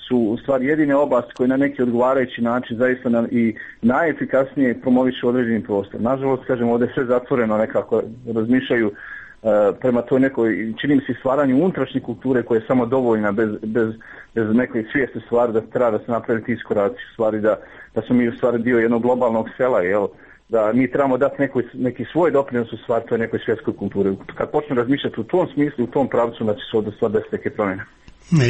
su u stvari jedine oblasti koje na neki odgovarajući način zaista na, i najefikasnije promovišu određeni prostor. Nažalost, kažem, ovdje sve zatvoreno nekako razmišljaju uh, prema toj nekoj, čini mi se, stvaranju unutrašnje kulture koja je samo dovoljna bez, bez, bez nekoj svijesti stvari da treba da se napravi ti iskoraci stvari, da, da smo mi u stvari dio jednog globalnog sela, jel? Da mi trebamo dati neki, neki svoj doprinos u stvari toj nekoj svjetskoj kulturi. Kad počnu razmišljati u tom smislu, u tom pravcu, znači se ovdje stvar desiti neke promjene.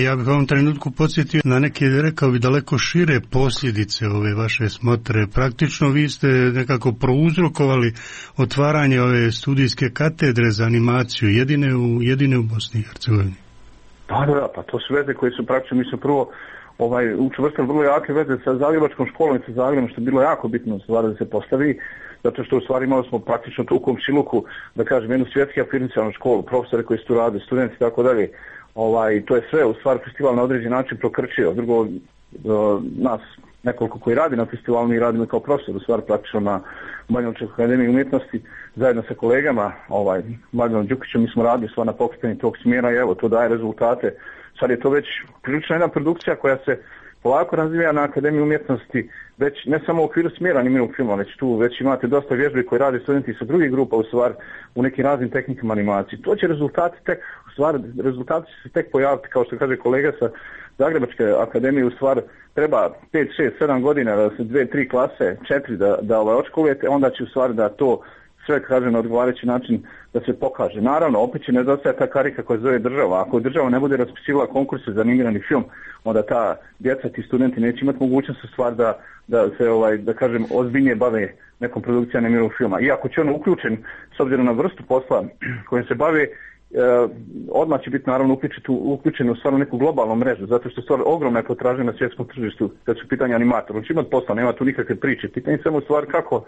Ja bih ovom trenutku podsjetio na neke, rekao bi, daleko šire posljedice ove vaše smotre. Praktično vi ste nekako prouzrokovali otvaranje ove studijske katedre za animaciju, jedine u, jedine u Bosni i Hercegovini. Pa da, pa to su veze koje su praktično, mi smo prvo ovaj, učvrstili vrlo jake veze sa Zagrebačkom školom i sa Zagrebom, što je bilo jako bitno stvar da se postavi, zato što u stvari imali smo praktično tu u komšiluku, da kažem, jednu svjetski afirmacijalnu školu, profesore koji su tu rade, studenti i tako dalje. Ovaj, to je sve u stvari festival na određen način prokrčio. Drugo, do, nas nekoliko koji radi na festivalu, mi radimo kao profesor, u stvari praktično na Banjalučkoj akademiji umjetnosti, zajedno sa kolegama, ovaj, Mladenom Đukićem, mi smo radili stvar na pokretanju tog smjera i evo, to daje rezultate. Sad je to već prilično jedna produkcija koja se polako razvija na Akademiji umjetnosti, već ne samo u okviru smjera animiranog filma, već tu već imate dosta vježbi koji rade studenti sa drugih grupa u stvari u nekim raznim tehnikama animacije. To će rezultati tek, u stvari, rezultati će se tek pojaviti, kao što kaže kolega sa Zagrebačke akademije, u stvari treba pet, šest, sedam godina, da se dve, tri klase, četiri da, da ovaj odškolujete, onda će u stvari da to sve kaže na odgovarajući način da se pokaže. Naravno, opet će nedostajati ta karika koja zove država. Ako država ne bude raspisivala konkurse za animirani film, onda ta djeca, ti studenti neće imati mogućnost u stvar da, da se, ovaj, da kažem, ozbiljnije bave nekom produkcijom animiranog filma. Iako će on uključen, s obzirom na vrstu posla kojim se bave, Uh, odmah će biti naravno uključen u stvarno neku globalnu mrežu, zato što stvar ogromna je potražnja na svjetskom tržištu kad su pitanje animatora. On će imati posla, nema tu nikakve priče. Pitanje je samo stvar kako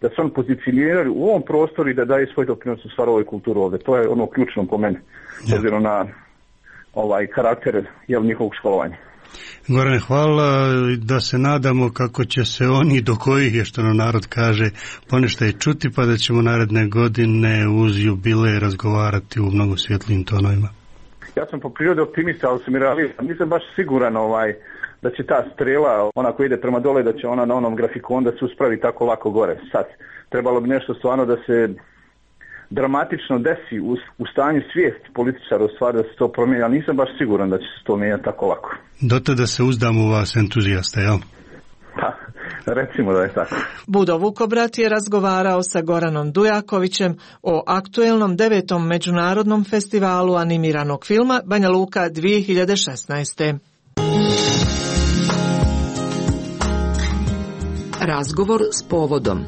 da se on pozicioniraju u ovom prostoru i da daje svoj doprinos u stvar ovoj kulturu ovdje. To je ono ključno po meni, s obzirom na ovaj karakter jel, njihovog školovanja. Gorane, hvala, da se nadamo kako će se oni do kojih je, što nam narod kaže, ponešto i čuti, pa da ćemo naredne godine uz jubile razgovarati u mnogo svjetlijim tonovima. Ja sam po prirodi optimista, ali sam i realista. Nisam baš siguran ovaj, da će ta strela, ona koja ide prema dole, da će ona na onom grafikonu da se uspravi tako lako gore. Sad, trebalo bi nešto stvarno da se dramatično desi u, u stanju svijesti političara u stvari da se to promijeni, ali nisam baš siguran da će se to mijenjati tako lako. Do tada se uzdam u vas entuzijasta, jel? Pa, recimo da je tako. Budo Vukobrat je razgovarao sa Goranom Dujakovićem o aktuelnom devetom međunarodnom festivalu animiranog filma Banja Luka dvije hiljade šesnaeste. Razgovor s povodom.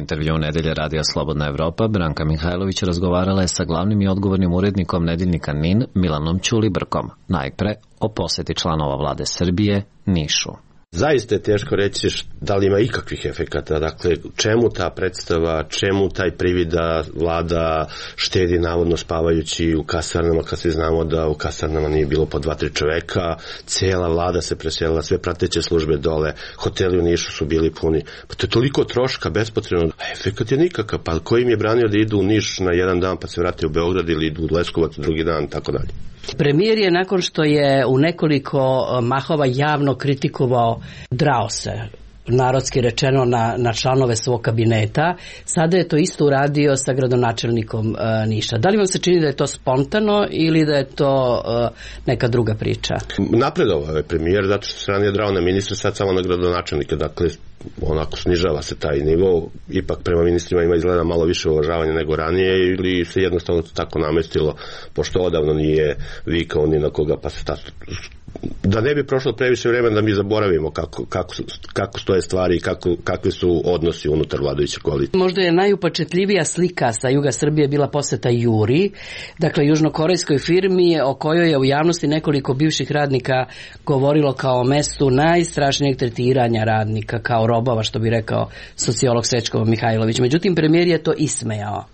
intervju Nedelje radija Slobodna Evropa, Branka Mihajlović razgovarala je sa glavnim i odgovornim urednikom Nedeljnika N I N, Milanom Ćulibrkom, najpre o poseti članova vlade Srbije Nišu. Zaista je teško reći da li ima ikakvih efekata, dakle čemu ta predstava, čemu taj privid da vlada štedi navodno spavajući u kasarnama, kad svi znamo da u kasarnama nije bilo po dva, tri čoveka, cijela vlada se preselila, sve prateće službe dole, hoteli u Nišu su bili puni, pa to je toliko troška bespotrebno, a efekat je nikakav, pa ko im je branio da idu u Niš na jedan dan pa se vrate u Beograd ili idu u Leskovac drugi dan, tako dalje. Premijer je nakon što je u nekoliko mahova javno kritikovao, drao se, narodski rečeno, na, na članove svog kabineta, sada je to isto uradio sa gradonačelnikom uh, Niša. Da li vam se čini da je to spontano ili da je to uh, neka druga priča? Napredovao je premijer zato što se ranije drao na ministra, sad samo na gradonačelnika, dakle onako snižava se taj nivo, ipak prema ministrima ima izgleda malo više uvažavanja nego ranije ili se jednostavno to tako namestilo, pošto odavno nije vikao ni na koga, pa se ta, da ne bi prošlo previše vremena da mi zaboravimo kako, kako, kako stoje stvari i kako, kakvi su odnosi unutar vladajuće koalicije. Možda je najupečetljivija slika sa juga Srbije bila poseta Juri, dakle južnokorejskoj firmi o kojoj je u javnosti nekoliko bivših radnika govorilo kao o mestu najstrašnijeg tretiranja radnika, kao robova, što bi rekao sociolog Srećko Mihajlović. Međutim, premijer je to ismejao.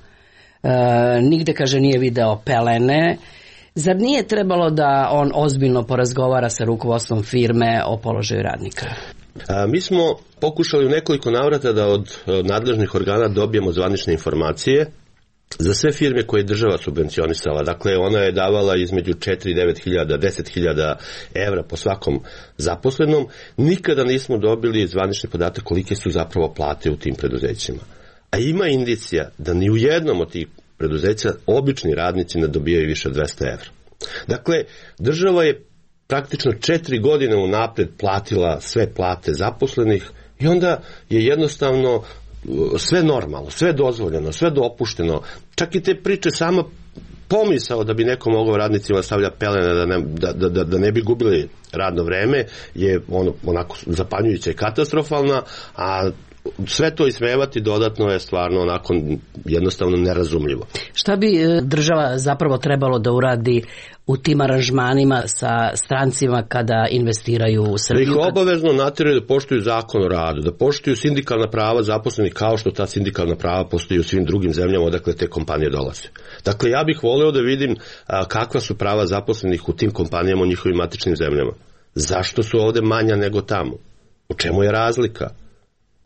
E, nigde, kaže, nije video pelene. Zar nije trebalo da on ozbiljno porazgovara sa rukovodstvom firme o položaju radnika? A, mi smo pokušali u nekoliko navrata da od nadležnih organa dobijemo zvanične informacije za sve firme koje je država subvencionisala. Dakle, ona je davala između četiri i devet hiljada, deset hiljada evra po svakom zaposlenom. Nikada nismo dobili zvanični podatak kolike su zapravo plate u tim preduzećima. A ima indicija da ni u jednom od tih preduzeća obični radnici ne dobijaju više od dvesta evra. Dakle, država je praktično četiri godine unapred platila sve plate zaposlenih i onda je jednostavno sve normalno, sve dozvoljeno, sve dopušteno. Čak i te priče sama pomisao da bi neko mogao radnicima stavlja pelene da ne, da, da, da ne bi gubili radno vreme je ono, onako zapanjujuća i katastrofalna, a sve to ismevati dodatno je stvarno onako jednostavno nerazumljivo. Šta bi država zapravo trebalo da uradi u tim aranžmanima sa strancima kada investiraju u Srbiju? Da ih obavezno natjeraju da poštuju zakon o radu, da poštuju sindikalna prava zaposlenih kao što ta sindikalna prava postoji u svim drugim zemljama odakle te kompanije dolaze. Dakle, ja bih voleo da vidim a, kakva su prava zaposlenih u tim kompanijama u njihovim matičnim zemljama. Zašto su ovde manja nego tamo? U čemu je razlika?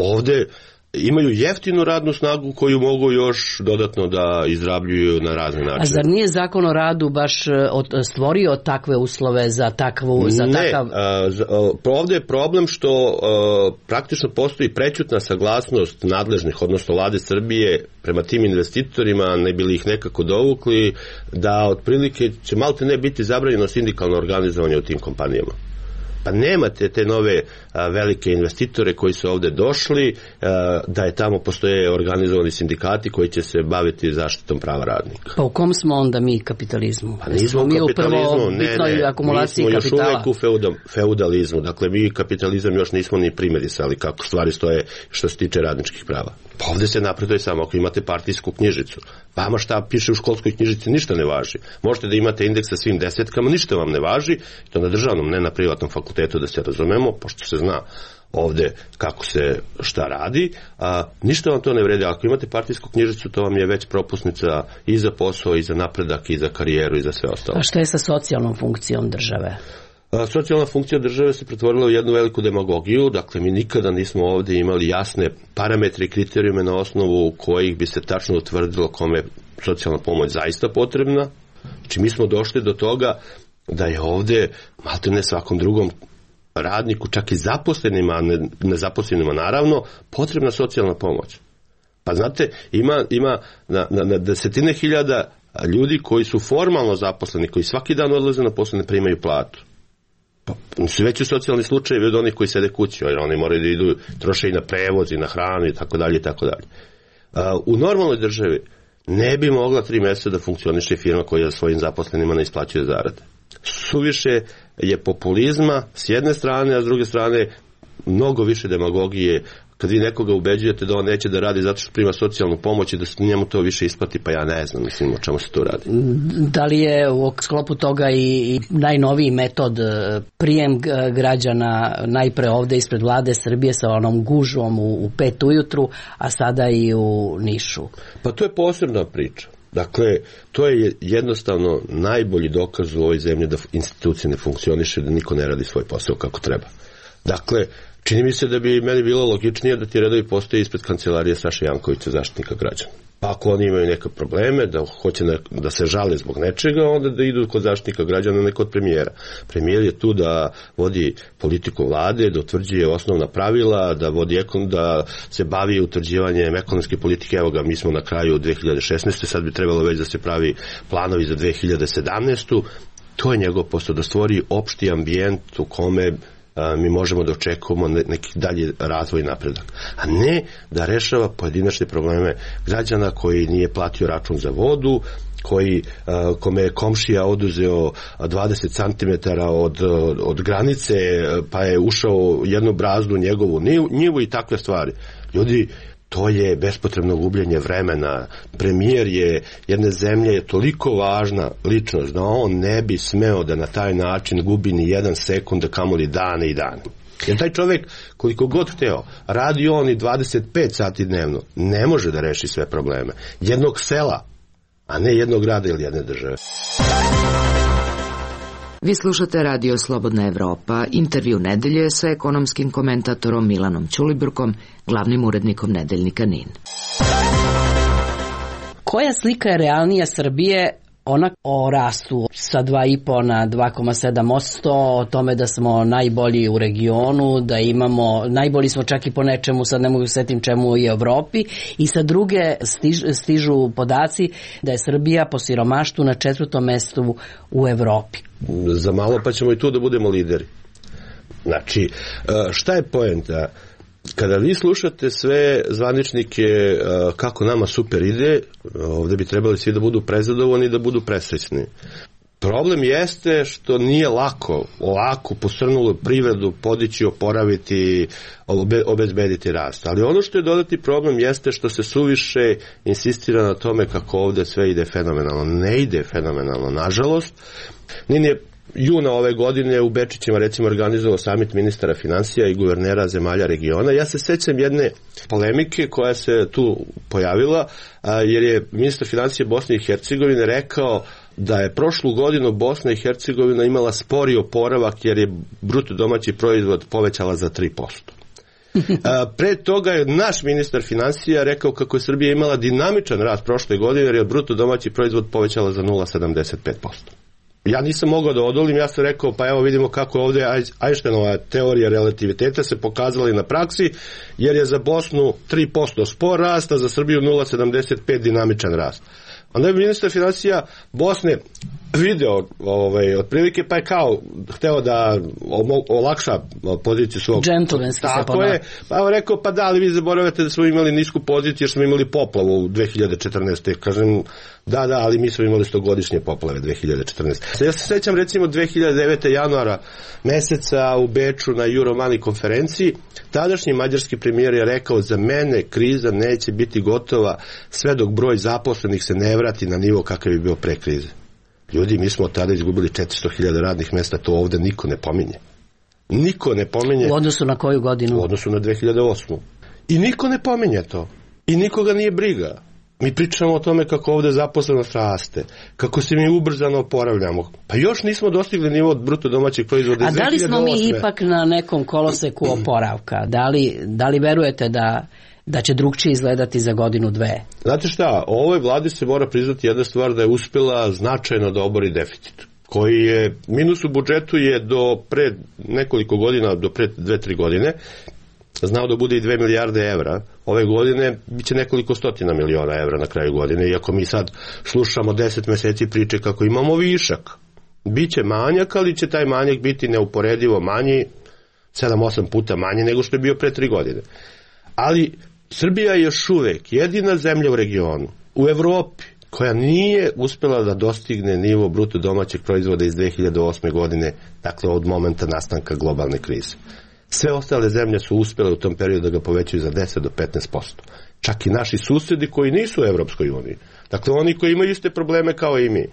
Ovde imaju jeftinu radnu snagu koju mogu još dodatno da izrabljuju na razne načine. A zar nije zakon o radu baš stvorio takve uslove za takvu... Za ne, takav... a, a, ovde je problem što a, praktično postoji prećutna saglasnost nadležnih, odnosno vlade Srbije prema tim investitorima, ne bili ih nekako dovukli, da otprilike će malte ne biti zabranjeno sindikalno organizovanje u tim kompanijama. Pa nemate te nove a, velike investitore koji su ovde došli, a, da je tamo postoje organizovani sindikati koji će se baviti zaštitom prava radnika. Pa u kom smo onda mi kapitalizmu? Pa nismo mi u kapitalizmu, ne, ne, akumulaciji mi smo kapitala. još uvek u feudal, feudalizmu, dakle mi kapitalizam još nismo ni primerisali kako stvari stoje što se tiče radničkih prava. Pa ovde se napreduje samo ako imate partijsku knjižicu. Vama šta piše u školskoj knjižici ništa ne važi. Možete da imate indeks sa svim desetkama, ništa vam ne važi, to na državnom, ne na privatnom fakultetu da se razumemo, pošto se zna ovde kako se šta radi, a ništa vam to ne vredi. Ako imate partijsku knjižicu, to vam je već propusnica i za posao, i za napredak, i za karijeru, i za sve ostalo. A šta je sa socijalnom funkcijom države? A, socijalna funkcija države se pretvorila u jednu veliku demagogiju, dakle mi nikada nismo ovde imali jasne parametre i kriterijume na osnovu kojih bi se tačno utvrdilo kome socijalna pomoć zaista potrebna. Znači mi smo došli do toga da je ovde malte ne svakom drugom radniku, čak i zaposlenima, ne, nezaposlenima naravno, potrebna socijalna pomoć. Pa znate, ima, ima na, na, na desetine hiljada ljudi koji su formalno zaposleni, koji svaki dan odlaze na posao, ne primaju platu. Pa su veći socijalni slučajevi od onih koji sede kući, jer oni moraju da idu, troše i na prevoz i na hranu i tako dalje i tako dalje. U normalnoj državi ne bi mogla tri mjeseca da funkcioniše firma koja svojim zaposlenima ne isplaćuje zarade. Suviše je populizma s jedne strane, a s druge strane mnogo više demagogije kad vi nekoga ubeđujete da on neće da radi zato što prima socijalnu pomoć i da se njemu to više isplati, pa ja ne znam, mislim, o čemu se to radi. Da li je u sklopu toga i, i najnoviji metod prijem građana najpre ovde ispred vlade Srbije sa onom gužvom u, u pet ujutru, a sada i u Nišu? Pa to je posebna priča. Dakle, to je jednostavno najbolji dokaz u ovoj zemlji da institucije ne funkcioniše, da niko ne radi svoj posao kako treba. Dakle, čini mi se da bi meni bilo logičnije da ti redovi postoje ispred kancelarije Saše Jankovića, Zaštitnika građana. Ako oni imaju neke probleme, da hoće ne, da se žale zbog nečega, onda da idu kod Zaštitnika građana, ne kod premijera. Premijer je tu da vodi politiku vlade, da utvrđuje osnovna pravila, da vodi ekon, da se bavi utvrđivanjem ekonomske politike. Evo ga, mi smo na kraju dve hiljade šesnaeste. Sad bi trebalo već da se pravi planovi za dve hiljade sedamnaestu. To je njegov posao, da stvori opšti ambijent u kome mi možemo da očekujemo neki dalji razvoj i napredak. A ne da rešava pojedinačne probleme građana koji nije platio račun za vodu, koji, kome je komšija oduzeo dvadeset centimetara od, od granice, pa je ušao jednu brazdu njegovu njivu i takve stvari. Ljudi, to je bespotrebno gubljenje vremena. Premijer je jedne zemlje je toliko važna ličnost da on ne bi smeo da na taj način gubi ni jedan sekund, kamoli dane i dane. Jer taj čovjek, koliko god hteo, radi on i dvadeset pet sati dnevno, ne može da reši sve probleme jednog sela, a ne jednog grada ili jedne države. Vi slušate Radio Slobodna Evropa, intervju nedelje sa ekonomskim komentatorom Milanom Ćulibrkom, glavnim urednikom nedeljnika Nin. Koja slika je realnija Srbije? Ona o rastu sa dva i po na dva zarez sedam posto, o tome da smo najbolji u regionu, da imamo, najbolji smo čak i po nečemu, sad ne mogu setim čemu, i Evropi, i sa druge stiž, stižu podaci da je Srbija po siromaštvu na četvrtom mestu u Evropi. Za malo pa ćemo i tu da budemo lideri. Znači, šta je poenta? Kada vi slušate sve zvaničnike kako nama super ide, ovdje bi trebali svi da budu prezadovoljni i da budu presrećni. Problem jeste što nije lako ovako posrnulu privredu podići, oporaviti, obe, obezbediti rast. Ali ono što je dodati problem jeste što se suviše insistira na tome kako ovdje sve ide fenomenalno. Ne ide fenomenalno, nažalost. Nin je juna ove godine u Bečićima recimo organizovao samit ministara financija i guvernera zemalja regiona. Ja se sećam jedne polemike koja se tu pojavila, jer je ministar financija Bosne i Hercegovine rekao da je prošlu godinu Bosna i Hercegovina imala spori oporavak jer je bruto domaći proizvod povećala za tri posto. Pre toga je naš ministar financija rekao kako je Srbija imala dinamičan rast prošle godine jer je bruto domaći proizvod povećala za nula zarez sedamdeset pet posto. Ja nisam mogao da odolim, ja sam rekao pa evo vidimo kako ovdje Einsteinova teorija relativiteta se pokazala i na praksi, jer je za Bosnu tri posto spor rast, a za Srbiju nula zarez sedamdeset pet dinamičan rast. Onda je ministar financija Bosne video ovaj, otprilike, pa je kao hteo da olakša poziciju svog. Džentlmenski se Tako je, pa je rekao, pa da, ali vi zaboravljate da smo imali nisku poziciju jer smo imali poplavu u dve hiljade četrnaeste. Kažem, da, da, ali mi smo imali stogodišnje poplave dve hiljade četrnaeste. Ja se sećam recimo dve hiljade devete. januara meseca u Beču na Euromani konferenciji, tadašnji mađarski premijer je rekao, za mene kriza neće biti gotova sve dok broj zaposlenih se ne vrati na nivo kakav je bio pre krize. Ljudi, mi smo od tada izgubili četiristo hiljada radnih mesta, to ovdje niko ne pominje. Niko ne pominje. U odnosu na koju godinu? U odnosu na dve hiljade osmu. I niko ne pominje to. I nikoga nije briga. Mi pričamo o tome kako ovdje zaposlenost raste, kako se mi ubrzano oporavljamo. Pa još nismo dostigli nivo od bruto domaćeg proizvoda iz dve hiljade osme. A da li smo mi ipak na nekom koloseku oporavka? Da li, da li verujete da da će drugčije izgledati za godinu dve? Znate šta, ovoj vladi se mora priznati jedna stvar, da je uspjela značajno da obori deficit, koji je, minus u budžetu je do pre nekoliko godina, do pre dve, tri godine, znao da bude i dve milijarde evra. Ove godine biće nekoliko stotina miliona evra na kraju godine, iako mi sad slušamo deset meseci priče kako imamo višak. Biće manjak, ali će taj manjak biti neuporedivo manji, sedam osam puta manji nego što je bio pre tri godine. Ali Srbija je još uvek jedina zemlja u regionu, u Evropi, koja nije uspjela da dostigne nivo bruto domaćeg proizvoda iz dve hiljade osme. godine, dakle od momenta nastanka globalne krize. Sve ostale zemlje su uspjele u tom periodu da ga povećaju za deset do petnaest posto. Čak i naši susjedi koji nisu u Evropskoj uniji. Dakle, oni koji imaju iste probleme kao i mi.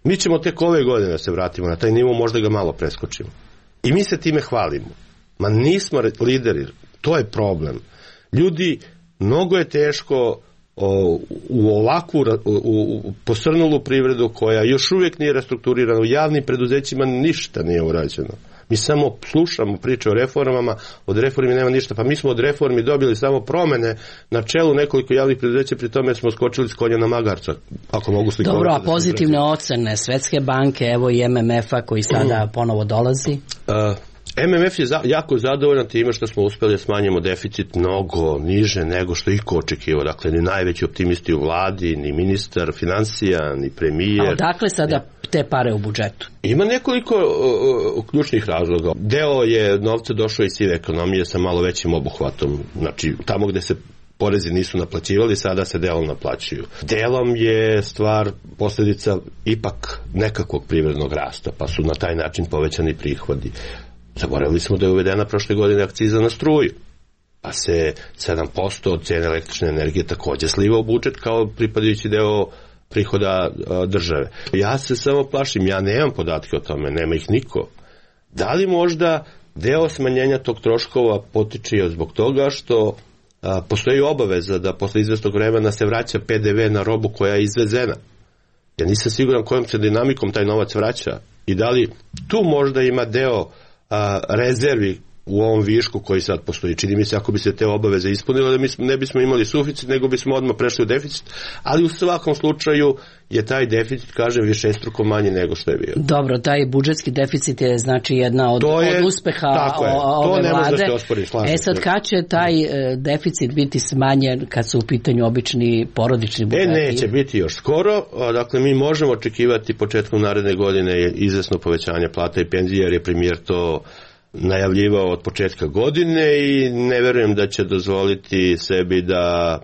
Mi ćemo tek ove godine da se vratimo na taj nivo, možda ga malo preskočimo. I mi se time hvalimo. Ma nismo lideri, to je problem. Ljudi, mnogo je teško o, u ovakvu u, u posrnulu privredu koja još uvijek nije restrukturirana, u javnim preduzećima ništa nije urađeno. Mi samo slušamo priče o reformama, od reformi nema ništa, pa mi smo od reformi dobili samo promene na čelu nekoliko javnih preduzeća, pri tome smo skočili s konja na magarca, ako mogu slikovati. Dobro, a pozitivne ocene Svetske banke, evo i M M F-a koji sada ponovo dolazi? Uh, M M F je za, jako zadovoljan time što smo uspjeli da smanjimo deficit mnogo niže nego što iko očekivao. Dakle, ni najveći optimisti u vladi, ni ministar financija, ni premijer. A odakle sada te pare u budžetu? Ima nekoliko uh, uh, ključnih razloga. Deo je novca došao iz sive ekonomije sa malo većim obuhvatom. Znači, tamo gde se porezi nisu naplaćivali, sada se delom naplaćuju. Delom je stvar posljedica ipak nekakvog privrednog rasta, pa su na taj način povećani prihodi. Zaboravili smo da je uvedena prošle godine akciza na struju, pa se sedam posto od cijene električne energije također sliva u budžet kao pripadajući deo prihoda a, države. Ja se samo plašim, ja nemam podatke o tome, nema ih niko. Da li možda deo smanjenja tog troškova potiče zbog toga što a, postoji obaveza da posle izvestog vremena se vraća P D V na robu koja je izvezena? Ja nisam siguran kojom se dinamikom taj novac vraća i da li tu možda ima deo a, rezervi u ovom višku koji sad postoji. Čini mi se ako bi se te obaveze ispunile da mi ne bismo imali suficit, nego bismo odmah prešli u deficit, ali u svakom slučaju je taj deficit, kažem, višestruko manji nego što je bio. Dobro, taj budžetski deficit je znači jedna od, je, od uspeha ove to vlade. Da ospori, e sad, kad će taj deficit biti smanjen kad su u pitanju obični porodični budžeti? E, neće biti još skoro. Dakle, mi možemo očekivati početkom naredne godine izvesno povećanje plata i penzija, jer je premijer to najavljivao od početka godine i ne verujem da će dozvoliti sebi da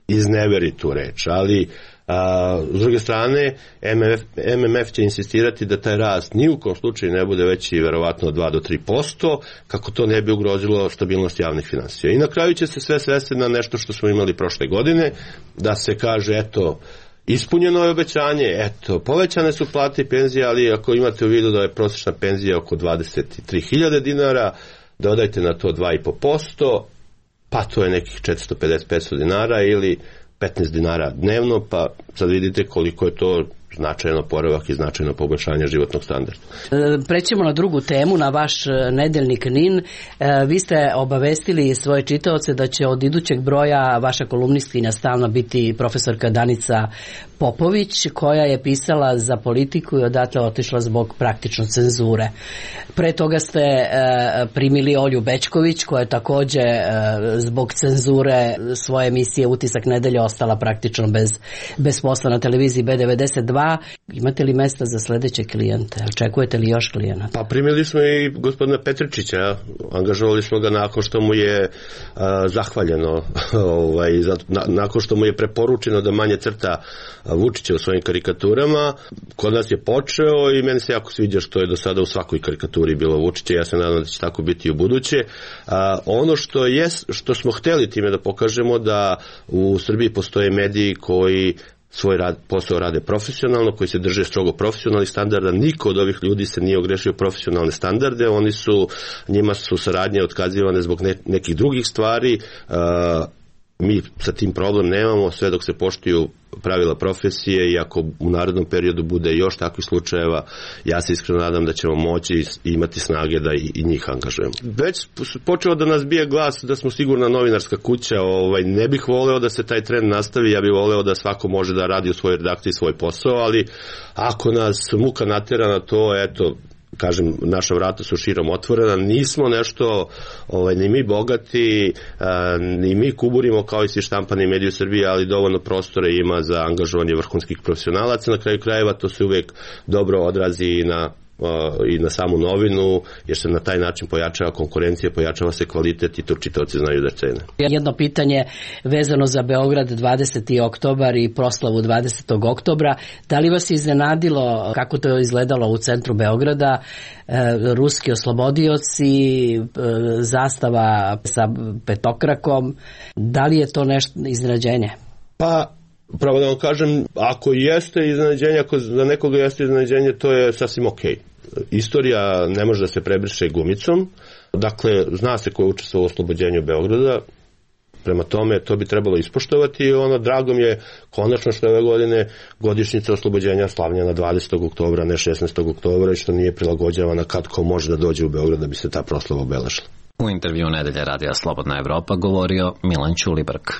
izneveri tu reč, ali a, s druge strane M M F, M M F će insistirati da taj rast ni u kom slučaju ne bude veći verovatno od dva do tri posto, kako to ne bi ugrozilo stabilnost javnih finansija. I na kraju će se sve svesti na nešto što smo imali prošle godine, da se kaže eto ispunjeno je obećanje, eto, povećane su plate i penzije, ali ako imate u vidu da je prosječna penzija oko dvadeset tri hiljade dinara, dodajte na to dva i po posto, pa to je nekih četiristo pedeset do petsto dinara ili petnaest dinara dnevno, pa sad vidite koliko je to značajno poravak i značajno poboljšanje životnog standarda. Prećemo na drugu temu, na vaš nedeljnik N I N. Vi ste obavestili svoje čitaoce da će od idućeg broja vaša kolumnistkinja stalno biti profesorka Danica Popović, koja je pisala za Politiku i odatle otišla zbog praktično cenzure. Pre toga ste primili Olju Bećković, koja je također zbog cenzure svoje emisije Utisak nedelje ostala praktično bez, bez posla na televiziji B devedeset dva. Imate li mesta za sljedeće klijente? Očekujete li još klijenata? Pa primili smo i gospodina Petričića, angažovali smo ga nakon što mu je a, zahvaljeno, ovaj, za, na, nakon što mu je preporučeno da manje crta Vučića u svojim karikaturama. Kod nas je počeo i meni se jako sviđa što je do sada u svakoj karikaturi bilo Vučića, ja se nadam da će tako biti i u buduće. A, ono što, je, što smo htjeli time da pokažemo da u Srbiji postoje mediji koji svoj rad, posao rade profesionalno, koji se drže strogo profesionalnih standarda. Niko od ovih ljudi se nije ogrešio profesionalne standarde, oni su, njima su saradnje otkazivane zbog ne, nekih drugih stvari. Uh, mi sa tim problem nemamo, sve dok se poštuju pravila profesije i ako u narednom periodu bude još takvih slučajeva, ja se iskreno nadam da ćemo moći imati snage da i, i njih angažujemo. Već počeo da nas bije glas da smo sigurna novinarska kuća, ovaj, ne bih voleo da se taj trend nastavi, ja bih voleo da svako može da radi u svojoj redakciji svoj posao, ali ako nas muka natjera na to, eto, kažem, naša vrata su širom otvorena, nismo nešto, ovaj, ni mi bogati, a, ni mi kuburimo kao i svi štampani mediji u Srbiji, ali dovoljno prostora ima za angažovanje vrhunskih profesionalaca. Na kraju krajeva to se uvijek dobro odrazi i na i na samu novinu, jer se na taj način pojačava konkurencija, pojačava se kvalitet i to čitaoci znaju da cene. Jedno pitanje vezano za Beograd dvadeseti oktobar i proslavu dvadesetog oktobra. Da li vas je iznenadilo kako to je izgledalo u centru Beograda, e, ruski oslobodioci, e, zastava sa petokrakom, da li je to nešto iznenađenje? Pa, pravo da vam kažem, ako jeste iznenađenje, ako za nekoga jeste iznenađenje, to je sasvim okej. Istorija ne može da se prebriše gumicom, dakle, zna se ko je učestvovao u oslobođenju Beograda, prema tome to bi trebalo ispoštovati i ono, drago mi je konačno što ove godine godišnjica oslobođenja slavljena dvadesetog oktobra, ne šesnaestog oktobra i što nije prilagođavana kad ko može da dođe u Beograd da bi se ta proslava obeležila. U intervju Nedelje radija Slobodna Evropa govorio Milan Ćulibrk.